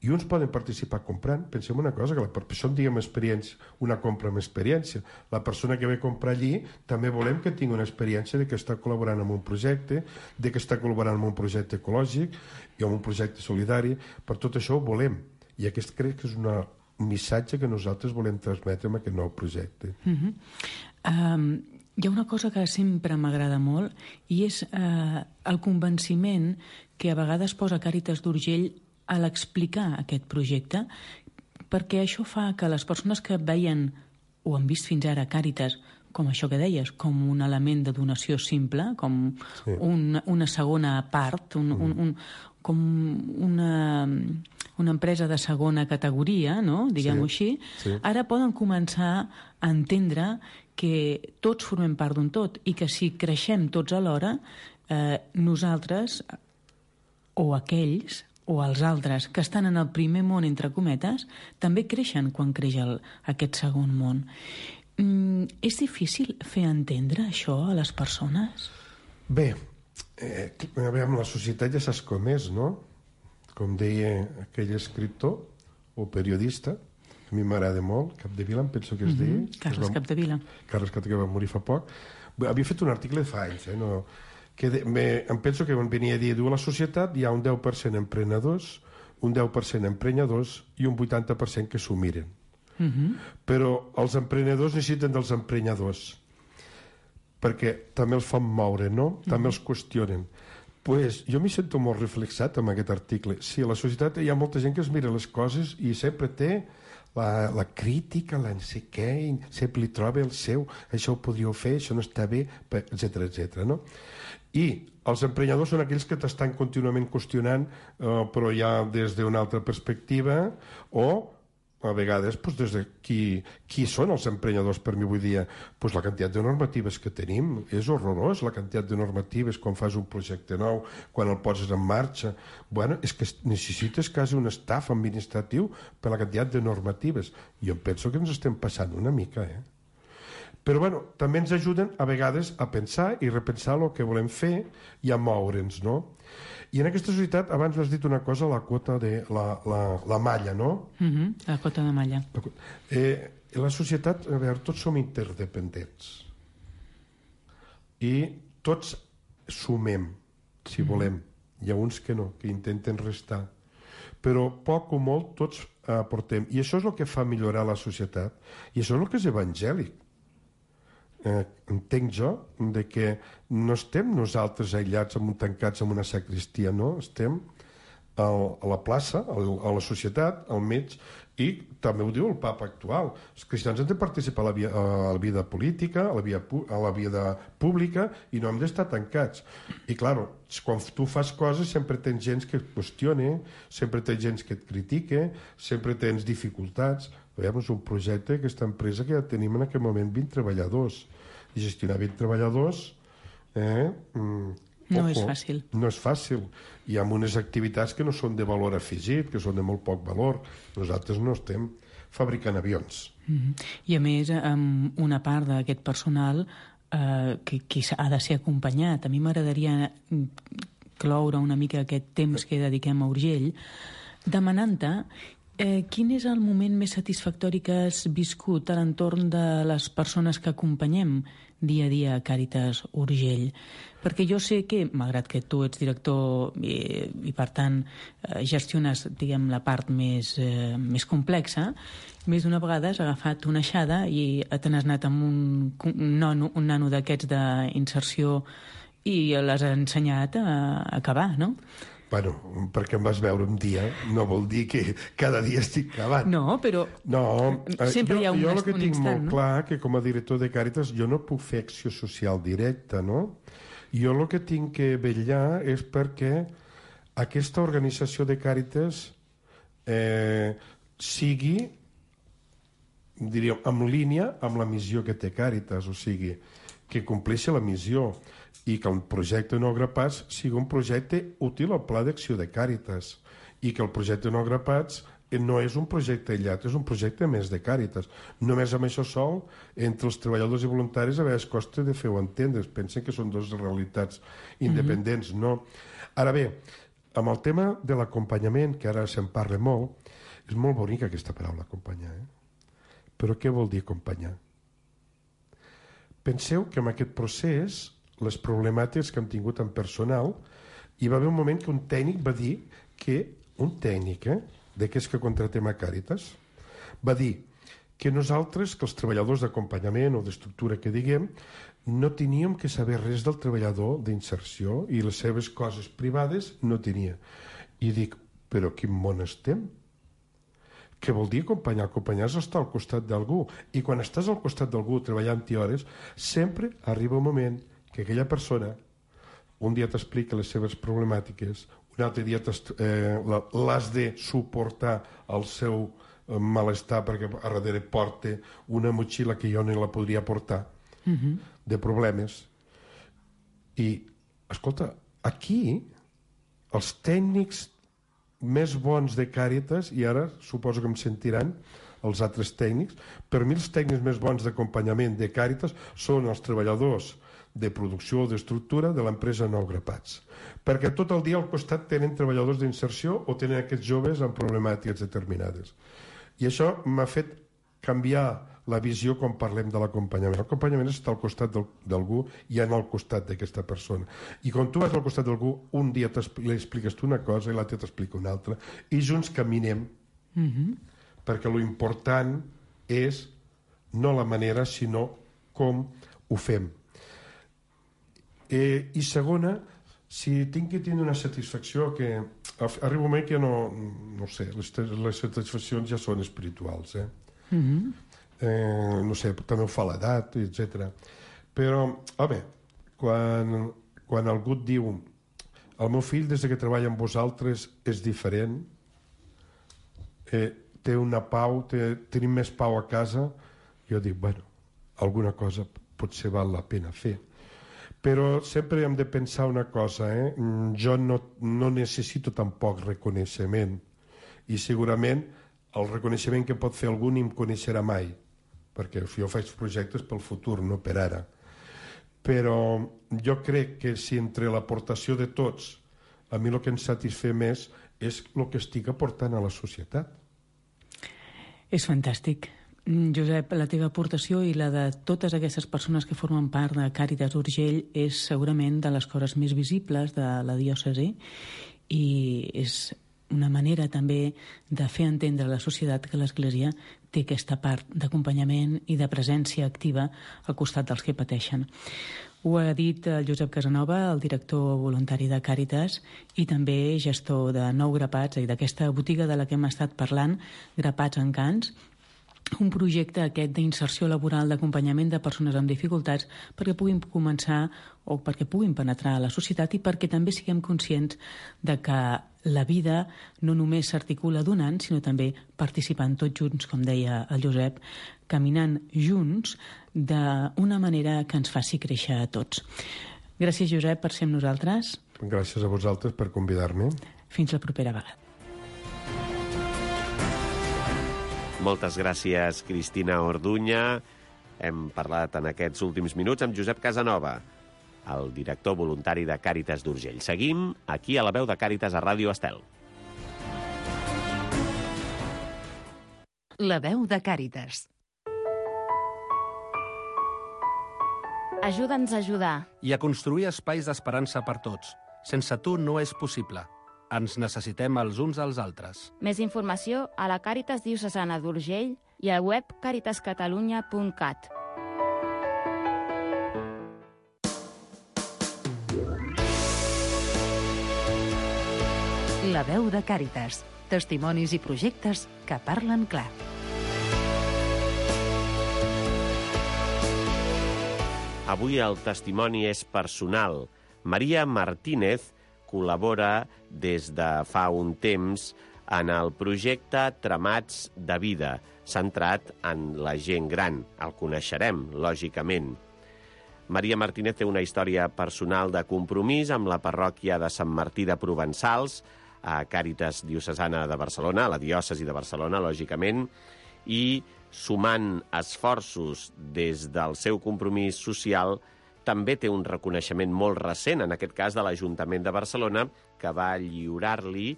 I uns poden participar comprant. Pensem una cosa, que per això en diguem experiència, una compra amb experiència. La persona que ve a comprar allí també volem que tingui una experiència de que està col·laborant en un projecte, de que està col·laborant en un projecte ecològic i en un projecte solidari. Per tot això ho volem. I aquest crec que és una, un missatge que nosaltres volem transmetre amb aquest nou projecte. Uh-huh. um, hi ha una cosa que sempre m'agrada molt i és uh, el convenciment que a vegades posa Càritas d'Urgell a l'explicar aquest projecte, perquè això fa que les persones que veien o han vist fins ara Càritas com això que deies, com un element de donació simple, com sí. una, una segona part, un, mm. un, un, com una, una empresa de segona categoria, no? diguem-ho sí. així, sí. ara poden començar a entendre que tots formem part d'un tot i que si creixem tots alhora, eh, nosaltres o aquells o els altres que estan en el primer món, entre cometes, també creixen quan creix el, aquest segon món. Mm, és difícil fer entendre això a les persones? Bé, eh, a veure, la societat ja saps com és, no? Com deia aquell escriptor o periodista, a mi m'agrada molt, Capdevila, em penso que es deia. Mm-hmm. Carles va, Capdevila. Carles Capdevila va morir fa poc. Havia fet un article fa anys, eh? No, que de, me, em penso que venia a dir, diu, a la societat hi ha un deu per cent emprenedors, un deu per cent emprenyadors i un vuitanta per cent que s'ho miren. Uh-huh. Però els emprenedors necessiten dels emprenyadors perquè també els fan moure, no? Uh-huh. També els qüestionen. Pues, jo m'hi sento molt reflexat amb aquest article. Sí, a la societat hi ha molta gent que es mira les coses i sempre té la, la crítica, la no sé què, sempre li troba el seu, això ho podríeu fer, això no està bé, etcètera, etcètera, no? I els emprenyadors són aquells que t'estan contínuament qüestionant, eh, però ja des d'una altra perspectiva, o a vegades doncs, des de qui, qui són els emprenyadors per mi avui dia. Doncs la quantitat de normatives que tenim és horrorós, la quantitat de normatives quan fas un projecte nou, quan el poses en marxa. Bueno, és que necessites quasi un staff administratiu per la quantitat de normatives. Jo penso que ens estem passant una mica, eh? Però bueno, també ens ajuden a vegades a pensar i repensar el que volem fer i a moure'ns, no? I en aquesta societat, abans has dit una cosa, la quota de la, la, la malla, no? Uh-huh, la quota de malla. La, eh, la societat, a veure, tots som interdependents. I tots sumem, si uh-huh. volem. Hi ha uns que no, que intenten restar. Però poc o molt tots aportem. I això és el que fa millorar la societat. I això és el que és evangèlic. eh, entenc jo, de que no estem nosaltres aïllats, tancats en una sacristia, no? Estem al, a la plaça, al, a la societat, al mig, i també ho diu el papa actual. Els cristians han de participar a la, via, a la vida política, a la, via, a la vida pública, i no hem d'estar tancats. I, clar, quan tu fas coses sempre tens gent que et qüestiona, sempre tens gent que et critica, sempre tens dificultats. Veiem, és un projecte, aquesta empresa, que ja tenim en aquest moment vint treballadors. I gestionar vint treballadors... Eh, mm, no és fàcil. No és fàcil. Hi ha unes activitats que no són de valor afegit, que són de molt poc valor. Nosaltres no estem fabricant avions. Mm-hmm. I a més, amb una part d'aquest personal eh, que, que ha de ser acompanyat. A mi m'agradaria cloure una mica aquest temps que dediquem a Urgell, demanant-te eh, quin és el moment més satisfactori que has viscut a l'entorn de les persones que acompanyem dia a dia a Càritas Urgell. Perquè jo sé que, malgrat que tu ets director i, i per tant, eh, gestiones, diguem, la part més, eh, més complexa, més d'una vegada has agafat una aixada i te n'has anat amb un, un nano, un nano d'aquests d'inserció i l'has ensenyat a, a acabar, no? Bueno, perquè em vas veure un dia no vol dir que cada dia estic cavant. No, però no, eh, sempre jo, hi ha un, jo el que un tinc instant, molt no? clar que com a director de Càritas jo no puc fer acció social directa, no? Jo el que tinc que vetllar és perquè aquesta organització de Càritas eh, sigui, diríem, en línia amb la missió que té Càritas, o sigui, que compleixi la missió i que el projecte No Grapats sigui un projecte útil al pla d'acció de Càritas i que el projecte No Grapats no és un projecte aïllat, és un projecte més de Càritas. Només amb això sol, entre els treballadors i voluntaris, a vegades costa de fer-ho entendre. Pensen que són dues realitats independents. Mm-hmm. No. Ara bé, amb el tema de l'acompanyament, que ara se'n parla molt, és molt bonica aquesta paraula, acompanyar. Eh? Però què vol dir acompanyar? Penseu que en aquest procés, les problemàtiques que hem tingut en personal, hi va haver un moment que un tècnic va dir que, un tècnic, eh, d'aquests que contratem a Càritas, va dir que nosaltres, que els treballadors d'acompanyament o d'estructura que diguem, no teníem que saber res del treballador d'inserció i les seves coses privades no tenia. I dic, però quin món estem? Què vol dir acompanyar? Acompanyar és estar al costat d'algú. I quan estàs al costat d'algú treballant-hi hores, sempre arriba un moment que aquella persona un dia t'explica les seves problemàtiques, un altre dia eh, l'has de suportar el seu eh, malestar perquè a darrere porta una motxilla que jo no la podria portar, uh-huh. de problemes. I, escolta, aquí els tècnics més bons de Càritas, i ara suposo que em sentiran els altres tècnics, per mi els tècnics més bons d'acompanyament de Càritas són els treballadors de producció o d'estructura de l'empresa Nou Grapats. Perquè tot el dia al costat tenen treballadors d'inserció o tenen aquests joves amb problemàtiques determinades. I això m'ha fet canviar la visió quan parlem de l'acompanyament. L'acompanyament és estar al costat d'algú i anar al costat d'aquesta persona. I quan tu vas al costat d'algú, un dia li expliques tu una cosa i l'altre t'explica una altra, i junts caminem, mm-hmm. perquè lo important és no la manera, sinó com ho fem. Eh, I segona, si tinc que tenir una satisfacció que arriba un moment que no, no sé, les, les satisfaccions ja són espirituals, eh? Mm-hmm. eh no sé, també ho fa l'edat, etcètera. Però, home, quan, quan algú et diu el meu fill des que treballa amb vosaltres és diferent, eh, té una pau, té, tenim més pau a casa, jo dic, bueno, alguna cosa potser val la pena fer. Però sempre hem de pensar una cosa, eh? Jo no, no necessito tampoc reconeixement, i segurament el reconeixement que pot fer algú ni em coneixerà mai, perquè jo faig projectes pel futur, no per ara. Però jo crec que si entre l'aportació de tots, a mi el que ens satisfé més és el que estic aportant a la societat. És fantàstic. Josep, la teva aportació i la de totes aquestes persones que formen part de Càritas Urgell és segurament de les coses més visibles de la diòcesi i és una manera també de fer entendre a la societat que l'Església té aquesta part d'acompanyament i de presència activa al costat dels que pateixen. Ho ha dit el Josep Casanova, el director voluntari de Càritas i també gestor de Nou Grapats, i d'aquesta botiga de la que hem estat parlant, Grapats Encants, un projecte aquest d'inserció laboral, d'acompanyament de persones amb dificultats perquè puguin començar o perquè puguin penetrar a la societat i perquè també siguem conscients de que la vida no només s'articula donant, sinó també participant tots junts, com deia el Josep, caminant junts d'una manera que ens faci créixer a tots. Gràcies, Josep, per ser amb nosaltres. Gràcies a vosaltres per convidar-me. Fins la propera vegada. Moltes gràcies, Cristina Orduña. Hem parlat en aquests últims minuts amb Josep Casanova, el director voluntari de Càritas d'Urgell. Seguim aquí a la veu de Càritas a Ràdio Estel. La veu de Càritas. Ajuda'ns a ajudar. I a construir espais d'esperança per tots. Sense tu no és possible. Ens necessitem els uns als altres. Més informació a la Càritas Diocesana d'Urgell i al web càritas catalunya punt cat. La veu de Càritas. Testimonis i projectes que parlen clar. Avui el testimoni és personal. Maria Martínez col·labora des de fa un temps en el projecte Tramats de Vida, centrat en la gent gran. El coneixerem, lògicament. Maria Martínez té una història personal de compromís amb la parròquia de Sant Martí de Provençals, a Càritas Diocesana de Barcelona, a la diòcesi de Barcelona, lògicament, i sumant esforços des del seu compromís social, també té un reconeixement molt recent, en aquest cas de l'Ajuntament de Barcelona, que va lliurar-li,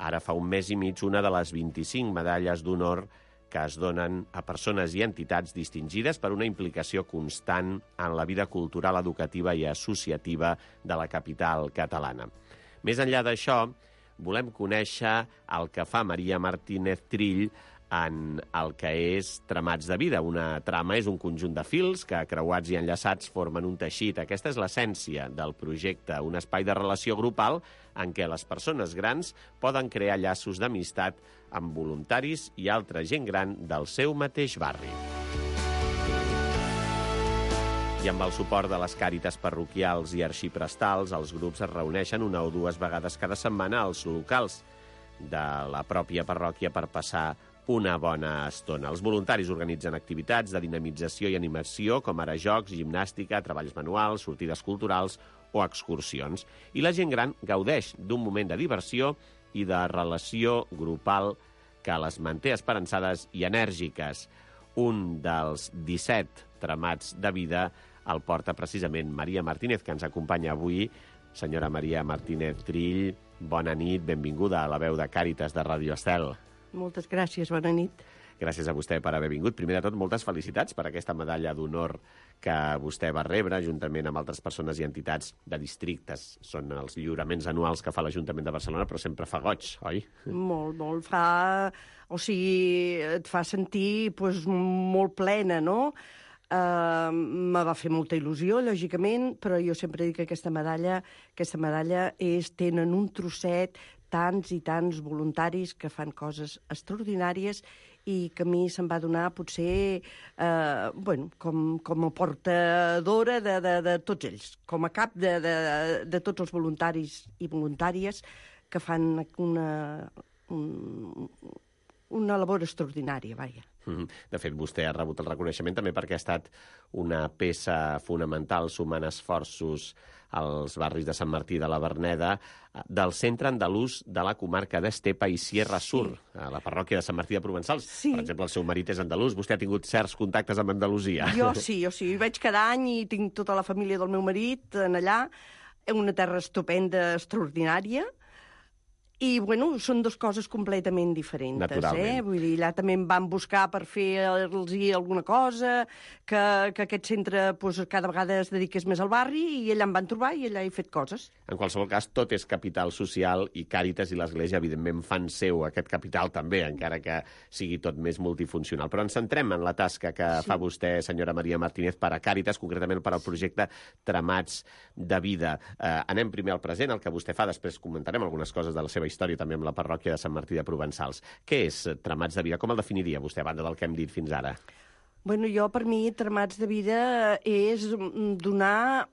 ara fa un mes i mig, una de les vint-i-cinc medalles d'honor que es donen a persones i entitats distingides per una implicació constant en la vida cultural, educativa i associativa de la capital catalana. Més enllà d'això, volem conèixer el que fa Maria Martínez Trill en el que és Tramats de Vida. Una trama és un conjunt de fils que, creuats i enllaçats, formen un teixit. Aquesta és l'essència del projecte, un espai de relació grupal en què les persones grans poden crear llaços d'amistat amb voluntaris i altra gent gran del seu mateix barri. I amb el suport de les càritas parroquials i arxiprestals, els grups es reuneixen una o dues vegades cada setmana als locals de la pròpia parròquia per passar una bona estona. Els voluntaris organitzen activitats de dinamització i animació, com ara jocs, gimnàstica, treballs manuals, sortides culturals o excursions. I la gent gran gaudeix d'un moment de diversió i de relació grupal que les manté esperançades i enèrgiques. Un dels disset tramats de vida el porta precisament Maria Martínez, que ens acompanya avui. Senyora Maria Martínez Trill, bona nit, benvinguda a la veu de Càritas de Ràdio Estel. Moltes gràcies, bona nit. Gràcies a vostè per haver vingut. Primer de tot, moltes felicitats per aquesta medalla d'honor que vostè va rebre, juntament amb altres persones i entitats de districtes. Són els lliuraments anuals que fa l'Ajuntament de Barcelona, però sempre fa goig, oi? Molt, molt. Fa... O sigui, et fa sentir pues, molt plena, no? Uh, me va fer molta il·lusió, lògicament, però jo sempre dic que aquesta medalla, aquesta medalla és, tenen un trosset tants i tants voluntaris que fan coses extraordinàries i que a mi se'm va donar potser eh, bueno, com, com a portadora de, de, de tots ells, com a cap de, de, de tots els voluntaris i voluntàries que fan una, un, una labor extraordinària, vaja. De fet, vostè ha rebut el reconeixement també perquè ha estat una peça fonamental sumant esforços als barris de Sant Martí de la Verneda del centre andalús de la comarca d'Estepa i Sierra Sur, sí. A la parròquia de Sant Martí de Provençals. Sí. Per exemple, el seu marit és andalús. Vostè ha tingut certs contactes amb Andalusia. Jo sí, jo sí. Hi vaig cada any i tinc tota la família del meu marit en allà. Una terra estupenda, extraordinària. I, bueno, són dues coses completament diferents. Naturalment. Eh? Vull dir, allà també em van buscar per fer-los alguna cosa, que, que aquest centre pues, cada vegada es dediqués més al barri, i allà em van trobar i allà he fet coses. En qualsevol cas, tot és capital social i Càritas i l'Església, evidentment, fan seu aquest capital també, encara que sigui tot més multifuncional. Però ens centrem en la tasca que sí. fa vostè, senyora Maria Martínez, per a Càritas, concretament per al projecte Tramats de Vida. Eh, anem primer al present, el que vostè fa, després comentarem algunes coses de la seva història també amb la parròquia de Sant Martí de Provençals. Què és Tramats de Vida? Com el definiria vostè, a banda del que hem dit fins ara? Bueno, jo, per mi, Tramats de Vida és donar,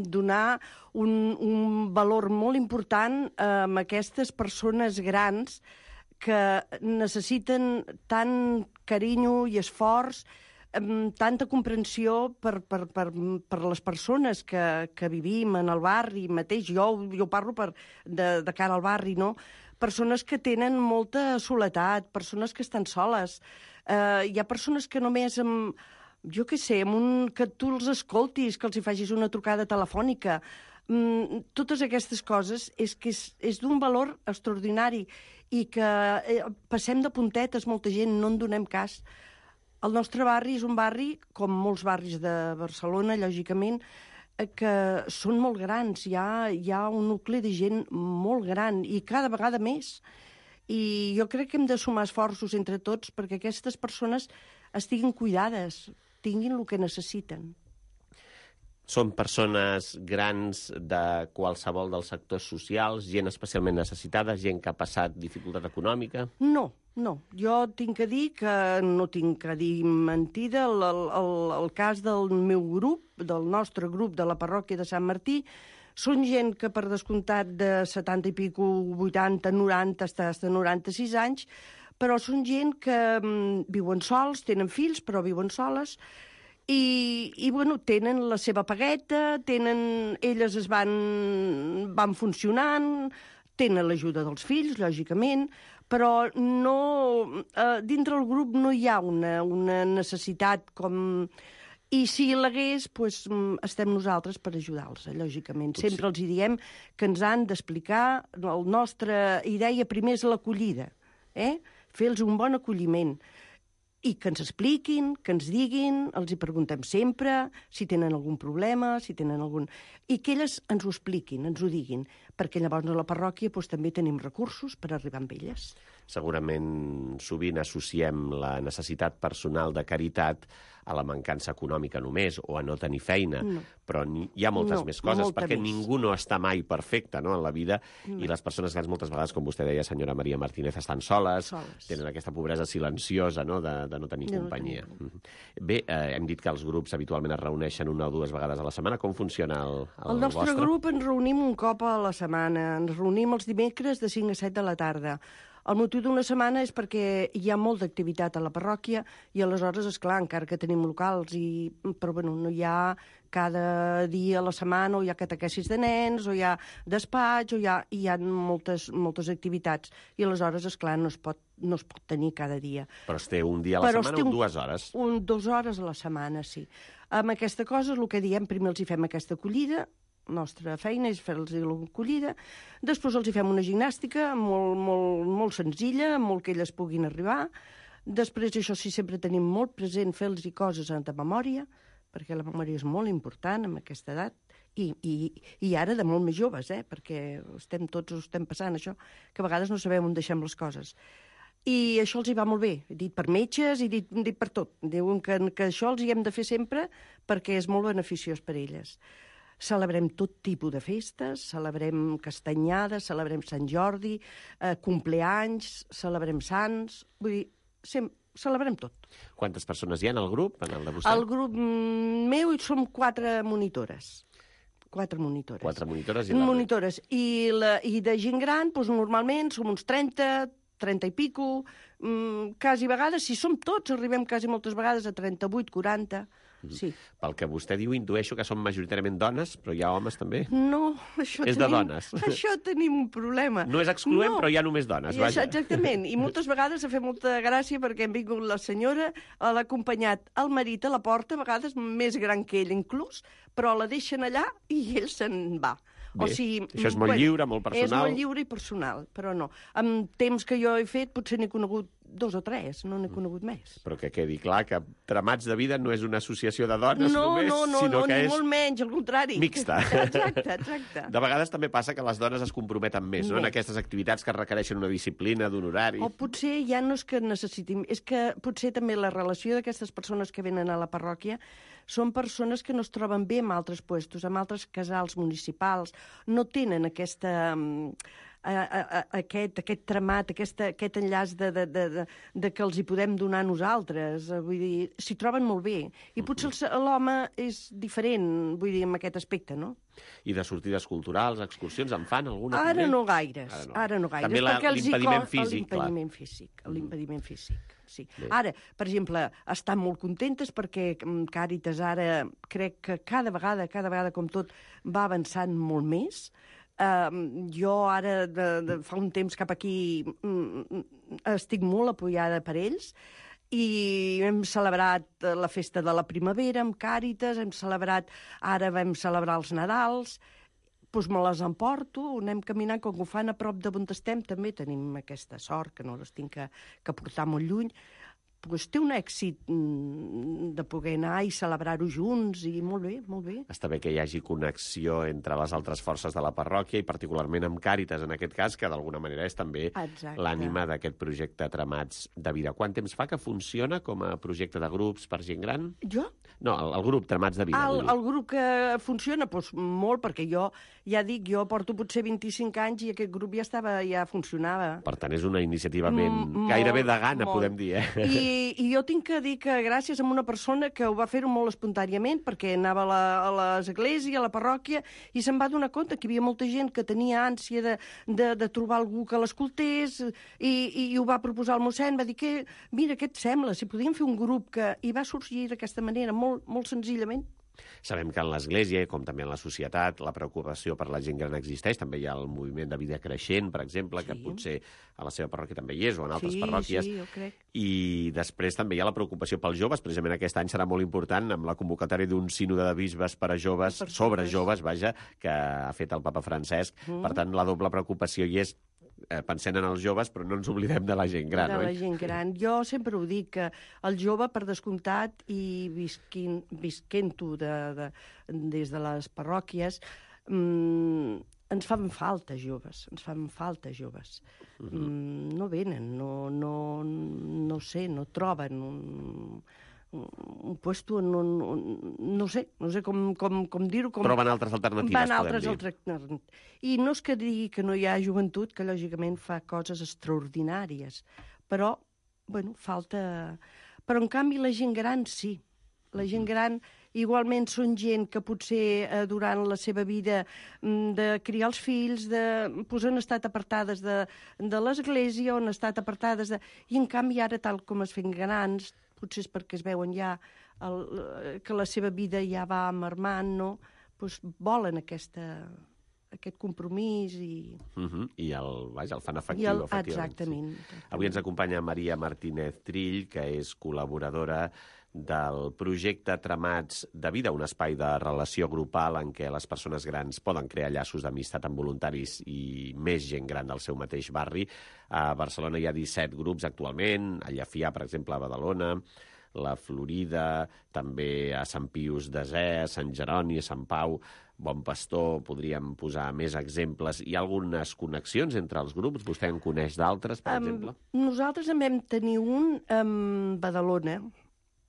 donar un, un valor molt important a aquestes persones grans que necessiten tant carinyo i esforç, tanta comprensió per, per, per, per les persones que, que vivim en el barri mateix. Jo, jo parlo per, de, de cara al barri, no? Persones que tenen molta soledat, persones que estan soles. Eh, hi ha persones que només amb, jo què sé, amb un, que tu els escoltis, que els hi facis una trucada telefònica. Mm, totes aquestes coses és que és, és d'un valor extraordinari i que eh, passem de puntetes molta gent, no en donem cas. El nostre barri és un barri, com molts barris de Barcelona, lògicament, que són molt grans. Hi ha, hi ha un nucli de gent molt gran i cada vegada més. I jo crec que hem de sumar esforços entre tots perquè aquestes persones estiguin cuidades, tinguin el que necessiten. Són persones grans de qualsevol dels sectors socials, gent especialment necessitada, gent que ha passat dificultat econòmica? No, no. Jo tinc que dir que no tinc que dir mentida. El, el, el cas del meu grup, del nostre grup de la parròquia de Sant Martí, són gent que, per descomptat, de setanta i pico, vuitanta, noranta, hasta, hasta noranta-sis anys, però són gent que um, viuen sols, tenen fills, però viuen soles, I, i bueno, tenen la seva pagueta, tenen, elles es van, van funcionant, tenen l'ajuda dels fills, lògicament, però no, eh, dintre el grup no hi ha una, una necessitat com... I si l'hagués, doncs, estem nosaltres per ajudar-los, lògicament. Potser. Sempre els hi diem que ens han d'explicar, la nostra idea primer és l'acollida, eh? Fer-los un bon acolliment. I que ens expliquin, que ens diguin, els hi preguntem sempre si tenen algun problema, si tenen algun... I que elles ens ho expliquin, ens ho diguin, perquè llavors a la parròquia doncs, també tenim recursos per arribar amb elles. Segurament sovint associem la necessitat personal de caritat a la mancança econòmica només, o a no tenir feina, no. Però hi ha moltes no, més coses, perquè més. Ningú no està mai perfecte, no?, en la vida, no. I les persones grans moltes vegades, com vostè deia, senyora Maria Martínez, estan soles, soles. Tenen aquesta pobresa silenciosa, no?, de, de no tenir de companyia. No tenir. Bé, eh, hem dit que els grups habitualment es reuneixen una o dues vegades a la setmana. Com funciona el, el, el nostre vostre? grup ens reunim un cop a la setmana. Ens reunim els dimecres de cinc a set de la tarda. El motiu d'una setmana és perquè hi ha molt d'activitat a la parròquia i aleshores, esclar, encara que tenim locals, i, però bueno, no hi ha cada dia a la setmana, o hi ha catequesis de nens, o hi ha despatx, o hi ha, hi ha moltes, moltes activitats. I aleshores, esclar, no es pot, no es pot tenir cada dia. Però es té un dia a la però setmana o un, dues hores? Un, dues hores a la setmana, sí. Amb aquesta cosa, el que diem, primer els hi fem aquesta acollida, la nostra feina és fer-los l'acollida, després els hi fem una gimnàstica molt, molt, molt senzilla, molt que elles puguin arribar, després, això sí, sempre tenim molt present fer-los coses de memòria, perquè la memòria és molt important en aquesta edat, i, i, i ara de molt més joves, eh? Perquè estem tots ho estem passant, això, que a vegades no sabem on deixem les coses. I això els hi va molt bé, dit per metges i dit, dit per tot. Diuen que, que això els hi hem de fer sempre perquè és molt beneficiós per elles. Celebrem tot tipus de festes, celebrem castanyades, celebrem Sant Jordi, eh, compleanys, celebrem sants, vull dir, sem celebrem tot. Quantes persones hi ha en el grup, en el de vostè? El grup meu som quatre monitores. Quatre monitores. Quatre monitores i la... Monitores. I, la, i de gent gran, doncs, normalment som uns trenta, trenta i pico, mm, quasi vegades, si som tots, arribem quasi moltes vegades a trenta-vuit, quaranta... Sí. Pel que vostè diu, intueixo que són majoritàriament dones, però hi ha homes també? No, això és tenim, de dones. Això tenim un problema. No és excloent, no. Però hi ha només dones, I vaja. Exactament, i moltes vegades ha fet molta gràcia perquè hem vingut la senyora, l'ha acompanyat el marit a la porta, a vegades més gran que ell inclús, però la deixen allà i ell se'n va. Bé, o sigui, això és molt bueno, lliure, molt personal. És molt lliure i personal, però no. Amb temps que jo he fet potser n'he conegut dos o tres, no n'he conegut més. Però que quedi clar que Tramats de Vida no és una associació de dones no, només, no, no, sinó no, que ni és molt menys, al contrari. mixta. Exacte, exacte. De vegades també passa que les dones es comprometen més, no?, en aquestes activitats que requereixen una disciplina, d'un horari. O potser ja no és que necessitin, és que potser també la relació d'aquestes persones que venen a la parròquia són persones que no es troben bé en altres puestos, en altres casals municipals, no tenen aquesta, a, a, a, aquest, aquest tramat, aquesta, aquest enllaç de, de, de, de, de que els hi podem donar nosaltres. Vull dir, s'hi troben molt bé. I potser l'home és diferent, vull dir, en aquest aspecte, no? I de sortides culturals, excursions, en fan alguna? Ara també? no gaires, ara no, ara no gaires. També l'impediment físic, clar. L'impediment físic, l'impediment físic, sí. Bé. Ara, per exemple, estan molt contentes perquè Càritas ara crec que cada vegada, cada vegada com tot, va avançant molt més. Uh, jo ara, de, de, fa un temps cap aquí, mm, estic molt apoyada per ells, i hem celebrat la festa de la primavera amb Càritas, hem celebrat, ara vam celebrar els Nadals, doncs me les emporto, anem caminant, com que ho fan a prop de on estem, també tenim aquesta sort, que no les tinc que, que portar molt lluny, doncs té un èxit de poder anar i celebrar-ho junts, i molt bé, molt bé. Està bé que hi hagi connexió entre les altres forces de la parròquia i particularment amb Càritas, en aquest cas, que d'alguna manera és també l'ànima d'aquest projecte Tramats de Vida. Quant temps fa que funciona com a projecte de grups per gent gran? Jo? No, el, el grup Tramats de Vida. El, el grup que funciona, doncs molt, perquè jo, ja dic, jo porto potser vint-i-cinc anys i aquest grup ja estava, ja funcionava. Per tant, és una iniciativament mm, gairebé de gana, molt, podem dir, eh? I, I jo tinc que dir que gràcies a una persona que ho va fer-ho molt espontàniament, perquè anava a, la, a l'església, a la parròquia, i se'n va donar compte que hi havia molta gent que tenia ànsia de, de, de trobar algú que l'escoltés, i, i ho va proposar el mossèn, va dir que, mira, què et sembla, si podíem fer un grup que... I va sorgir d'aquesta manera, molt, molt senzillament. Sabem que en l'Església, com també en la societat, la preocupació per la gent gran existeix. També hi ha el moviment de vida creixent, per exemple, sí, que potser a la seva parròquia també hi és, o en altres sí, parròquies. Sí, jo crec. I després també hi ha la preocupació pels joves. Precisament aquest any serà molt important amb la convocatòria d'un sínode de bisbes per a joves, per sobre joves, vaja, que ha fet el papa Francesc. Mm. Per tant, la doble preocupació hi és, eh, pensant en els joves, però no ens oblidem de la gent gran, de oi? la gent gran. Jo sempre ho dic, que el jove, per descomptat, i visquin, visquent-ho de, de, des de les parròquies, mmm, ens fan falta joves, ens fan falta joves. Uh-huh. Mm, no venen, no, no, no sé, no troben un, un puesto, no, no, no sé, no sé com, com, com dir-ho. Com... Troben altres alternatives, Van podem altres dir. Altres... I no és que digui que no hi ha joventut, que lògicament fa coses extraordinàries, però, bueno, falta... Però, en canvi, la gent gran sí. La gent gran igualment són gent que potser eh, durant la seva vida de criar els fills, de, pues, han estat apartades de, de l'església, on han estat apartades de... I, en canvi, ara, tal com es fent grans, potser és perquè es veuen ja el, que la seva vida ja va marmant, no? Pues volen aquesta, aquest compromís i... Uh-huh. I el, vaja, el fan efectiu, el, efectivament. Exactament, exactament. Avui ens acompanya Maria Martínez Trill, que és col·laboradora del projecte Tramats de Vida, un espai de relació grupal en què les persones grans poden crear llaços d'amistat amb voluntaris i més gent gran del seu mateix barri. A Barcelona hi ha disset grups actualment, a Llefià, per exemple, a Badalona, la Florida, també a Sant Pius Desè, a Sant Jeroni, a Sant Pau, Bon Pastor, podríem posar més exemples. Hi ha algunes connexions entre els grups? Vostè en coneix d'altres, per um, exemple? Nosaltres en vam tenir un a Badalona,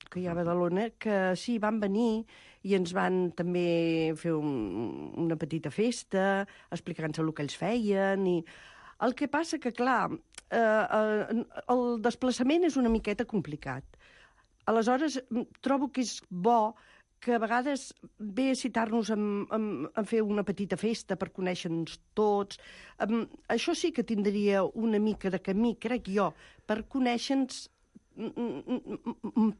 que hi ha a Badalona, que sí, van venir i ens van també fer un, una petita festa, explicant-se el que ells feien. I... El que passa que, clar, eh, eh, el desplaçament és una miqueta complicat. Aleshores, trobo que és bo que a vegades ve a citar-nos a, a, a fer una petita festa per conèixer-nos tots. Um, això sí que tindria una mica de camí, crec jo, per conèixer-nos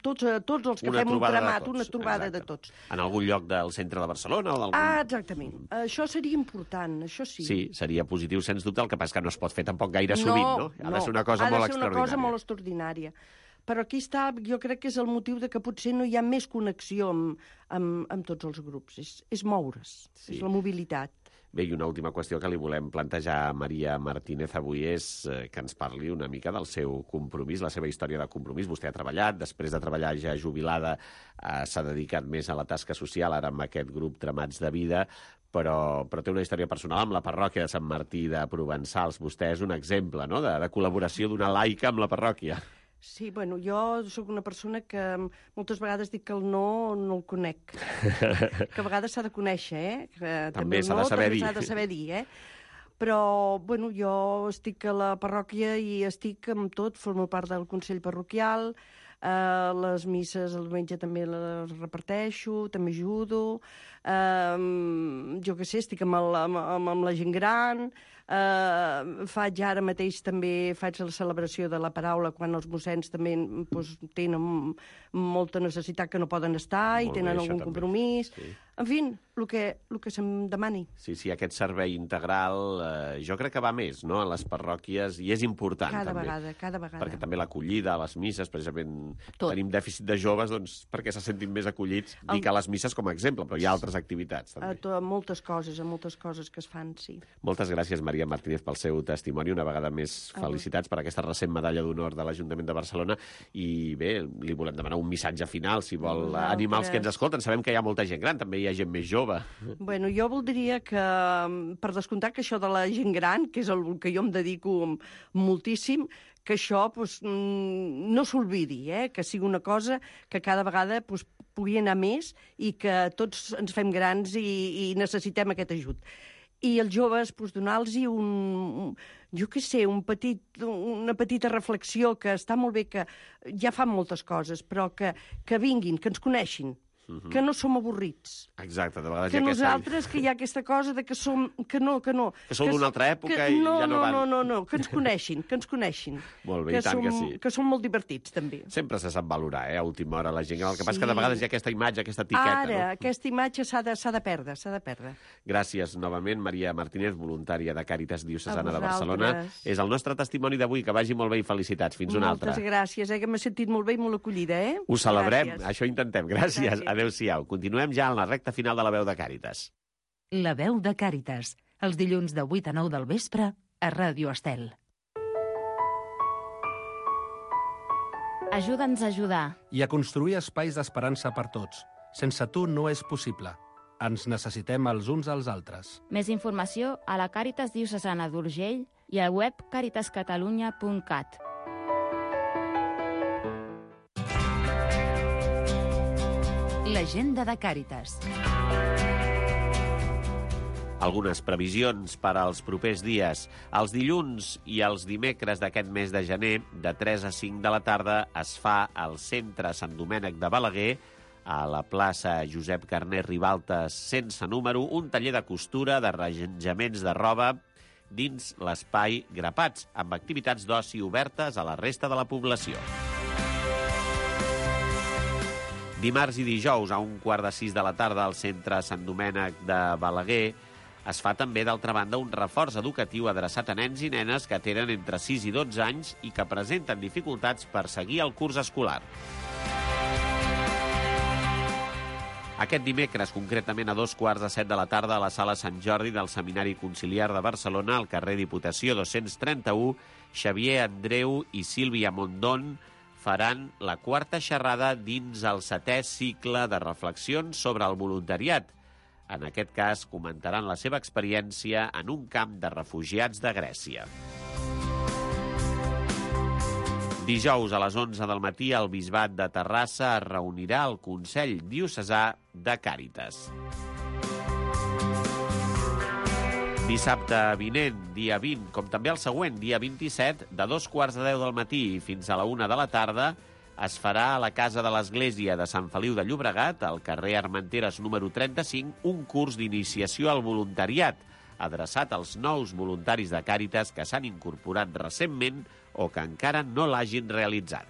tots, tots els que una fem un tramat, tots, una trobada exacte. de tots. En algun lloc del centre de Barcelona? O d'algun... Ah, exactament. Això seria important, això sí. Sí, seria positiu, sens dubte. El que passa és que no es pot fer tampoc gaire sovint, no? Ha de ser una cosa molt extraordinària. Ha de ser una cosa molt extraordinària. Però aquí està, jo crec que és el motiu de que potser no hi ha més connexió amb, amb, amb tots els grups. És, és moure's, sí. És la mobilitat. Bé, i una última qüestió que li volem plantejar a Maria Martínez avui és que ens parli una mica del seu compromís, la seva història de compromís. Vostè ha treballat, després de treballar ja jubilada, eh, s'ha dedicat més a la tasca social, ara amb aquest grup Tramats de Vida, però, però té una història personal amb la parròquia de Sant Martí de Provençals. Vostè és un exemple, no?, de, de col·laboració d'una laica amb la parròquia. Sí, bueno, jo sóc una persona que moltes vegades dic que el no no el conec. Que a vegades s'ha de conèixer, eh? Que també s'ha de saber dir. S'ha de saber dir, eh? Però, bueno, jo estic a la parròquia i estic amb tot, formo part del Consell Parroquial, eh, les misses el diumenge també les reparteixo, també ajudo, eh, jo què sé, estic amb, el, amb, amb la gent gran, Uh, faig ara mateix també faig la celebració de la paraula quan els mossens també pues, tenen molta necessitat que no poden estar i tenen algun compromís. Sí. En fi, el que, el que se'm demani. Sí, sí, aquest servei integral eh, jo crec que va més, no?, a les parròquies, i és important. Cada també, vegada, cada vegada. Perquè també l'acollida a les misses, precisament tot. Tenim dèficit de joves, doncs perquè se sentin més acollits. El... Dic a les misses com a exemple, però hi ha altres activitats també. A, to, a moltes coses, a moltes coses que es fan, sí. Moltes gràcies, Maria Martínez, pel seu testimoni. Una vegada més, felicitats per aquesta recent medalla d'honor de l'Ajuntament de Barcelona. I bé, li volem demanar un missatge final, si vol Nosaltres... animar els que ens escolten. Sabem que hi ha molta gent gran, també hi ha gent més jove. Bueno, jo voldria que, per descomptar que això de la gent gran, que és el que jo em dedico moltíssim, que això pues, no s'olvidi, eh? Que sigui una cosa que cada vegada pues, pugui anar més i que tots ens fem grans i, i necessitem aquest ajut. I els joves, doncs, donar-los un, jo què sé, un petit, una petita reflexió, que està molt bé, que ja fan moltes coses, però que, que vinguin, que ens coneixin, uh-huh. que no som avorrits. Exacte, de vegades que hi ha nosaltres, aquesta... que hi ha aquesta cosa de que som... Que no, que no. Que sou d'una altra època que, i no, ja no van. No, no, no, que ens coneixin, que ens coneixin. Molt bé, que i tant som, que sí. Que som molt divertits, també. Sempre se sap valorar, eh, a última hora, la gent. El que passa Sí. que de vegades hi ha aquesta imatge, aquesta etiqueta. Ara, no? aquesta imatge s'ha de, s'ha de perdre, s'ha de perdre. Gràcies novament, Maria Martínez, voluntària de Càritas Diocesana de Barcelona. És el nostre testimoni d'avui, que vagi molt bé i felicitats. Fins una altra. Moltes gràcies, eh, que m'he sentit molt bé i molt acollida, eh? Ho celebrem, Gràcies. això intentem. Gràcies, Gràcies. adéu-siau. Continuem ja en la recta final de la veu de Càritas. La veu de Càritas, els dilluns de vuit a nou del vespre a Ràdio Estel. Ajuda'ns a ajudar. I a construir espais d'esperança per tots. Sense tu no és possible. Ens necessitem els uns als altres. Més informació a la Càritas Diocesana d'Urgell i al web caritas catalunya punt cat. L'agenda de Càritas. Algunes previsions per als propers dies. Els dilluns i els dimecres d'aquest mes de gener, de tres a cinc de la tarda, es fa al centre Sant Domènec de Balaguer, a la plaça Josep Carner Ribalta sense número, un taller de costura, d'arranjaments de roba dins l'espai Grapats, amb activitats d'oci obertes a la resta de la població. Dimarts i dijous, a un quart de sis de la tarda, al centre Sant Domènec de Balaguer, es fa també, d'altra banda, un reforç educatiu adreçat a nens i nenes que tenen entre sis i dotze anys i que presenten dificultats per seguir el curs escolar. Aquest dimecres, concretament a dos quarts de set de la tarda, a la sala Sant Jordi del Seminari Conciliar de Barcelona, al carrer Diputació dos-cents trenta-u, Xavier Andreu i Sílvia Mondón faran la quarta xerrada dins el setè cicle de reflexions sobre el voluntariat. En aquest cas, comentaran la seva experiència en un camp de refugiats de Grècia. Dijous a les onze del matí, el Bisbat de Terrassa es reunirà al Consell Diocesà de Càritas. Dissabte vinent, dia vint, com també el següent, dia vint-i-set, de dos quarts de deu del matí fins a la una de la tarda, es farà a la Casa de l'Església de Sant Feliu de Llobregat, al carrer Armenteres número trenta-cinc, un curs d'iniciació al voluntariat, adreçat als nous voluntaris de Càritas que s'han incorporat recentment o que encara no l'hagin realitzat.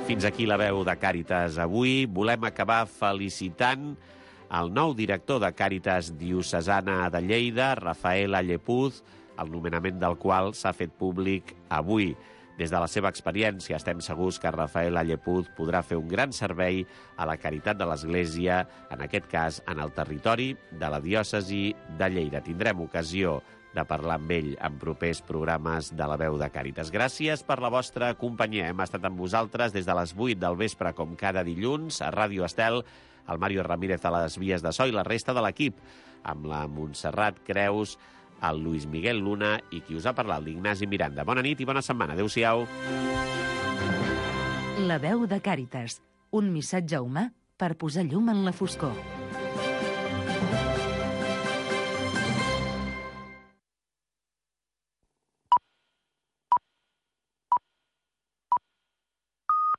Fins aquí la veu de Càritas avui. Volem acabar felicitant el nou director de Càritas Diocesana de Lleida, Rafael Allepuz, el nomenament del qual s'ha fet públic avui. Des de la seva experiència estem segurs que Rafael Allepuz podrà fer un gran servei a la caritat de l'Església, en aquest cas en el territori de la diòcesi de Lleida. Tindrem ocasió de parlar amb ell en propers programes de La Veu de Càritas. Gràcies per la vostra companyia. Hem estat amb vosaltres des de les vuit del vespre, com cada dilluns, a Ràdio Estel, el Mario Ramírez a les vies de so i la resta de l'equip, amb la Montserrat Creus, el Luis Miguel Luna i qui us ha parlat, l'Ignasi Miranda. Bona nit i bona setmana. Adéu-siau. La Veu de Càritas, un missatge humà per posar llum en la foscor.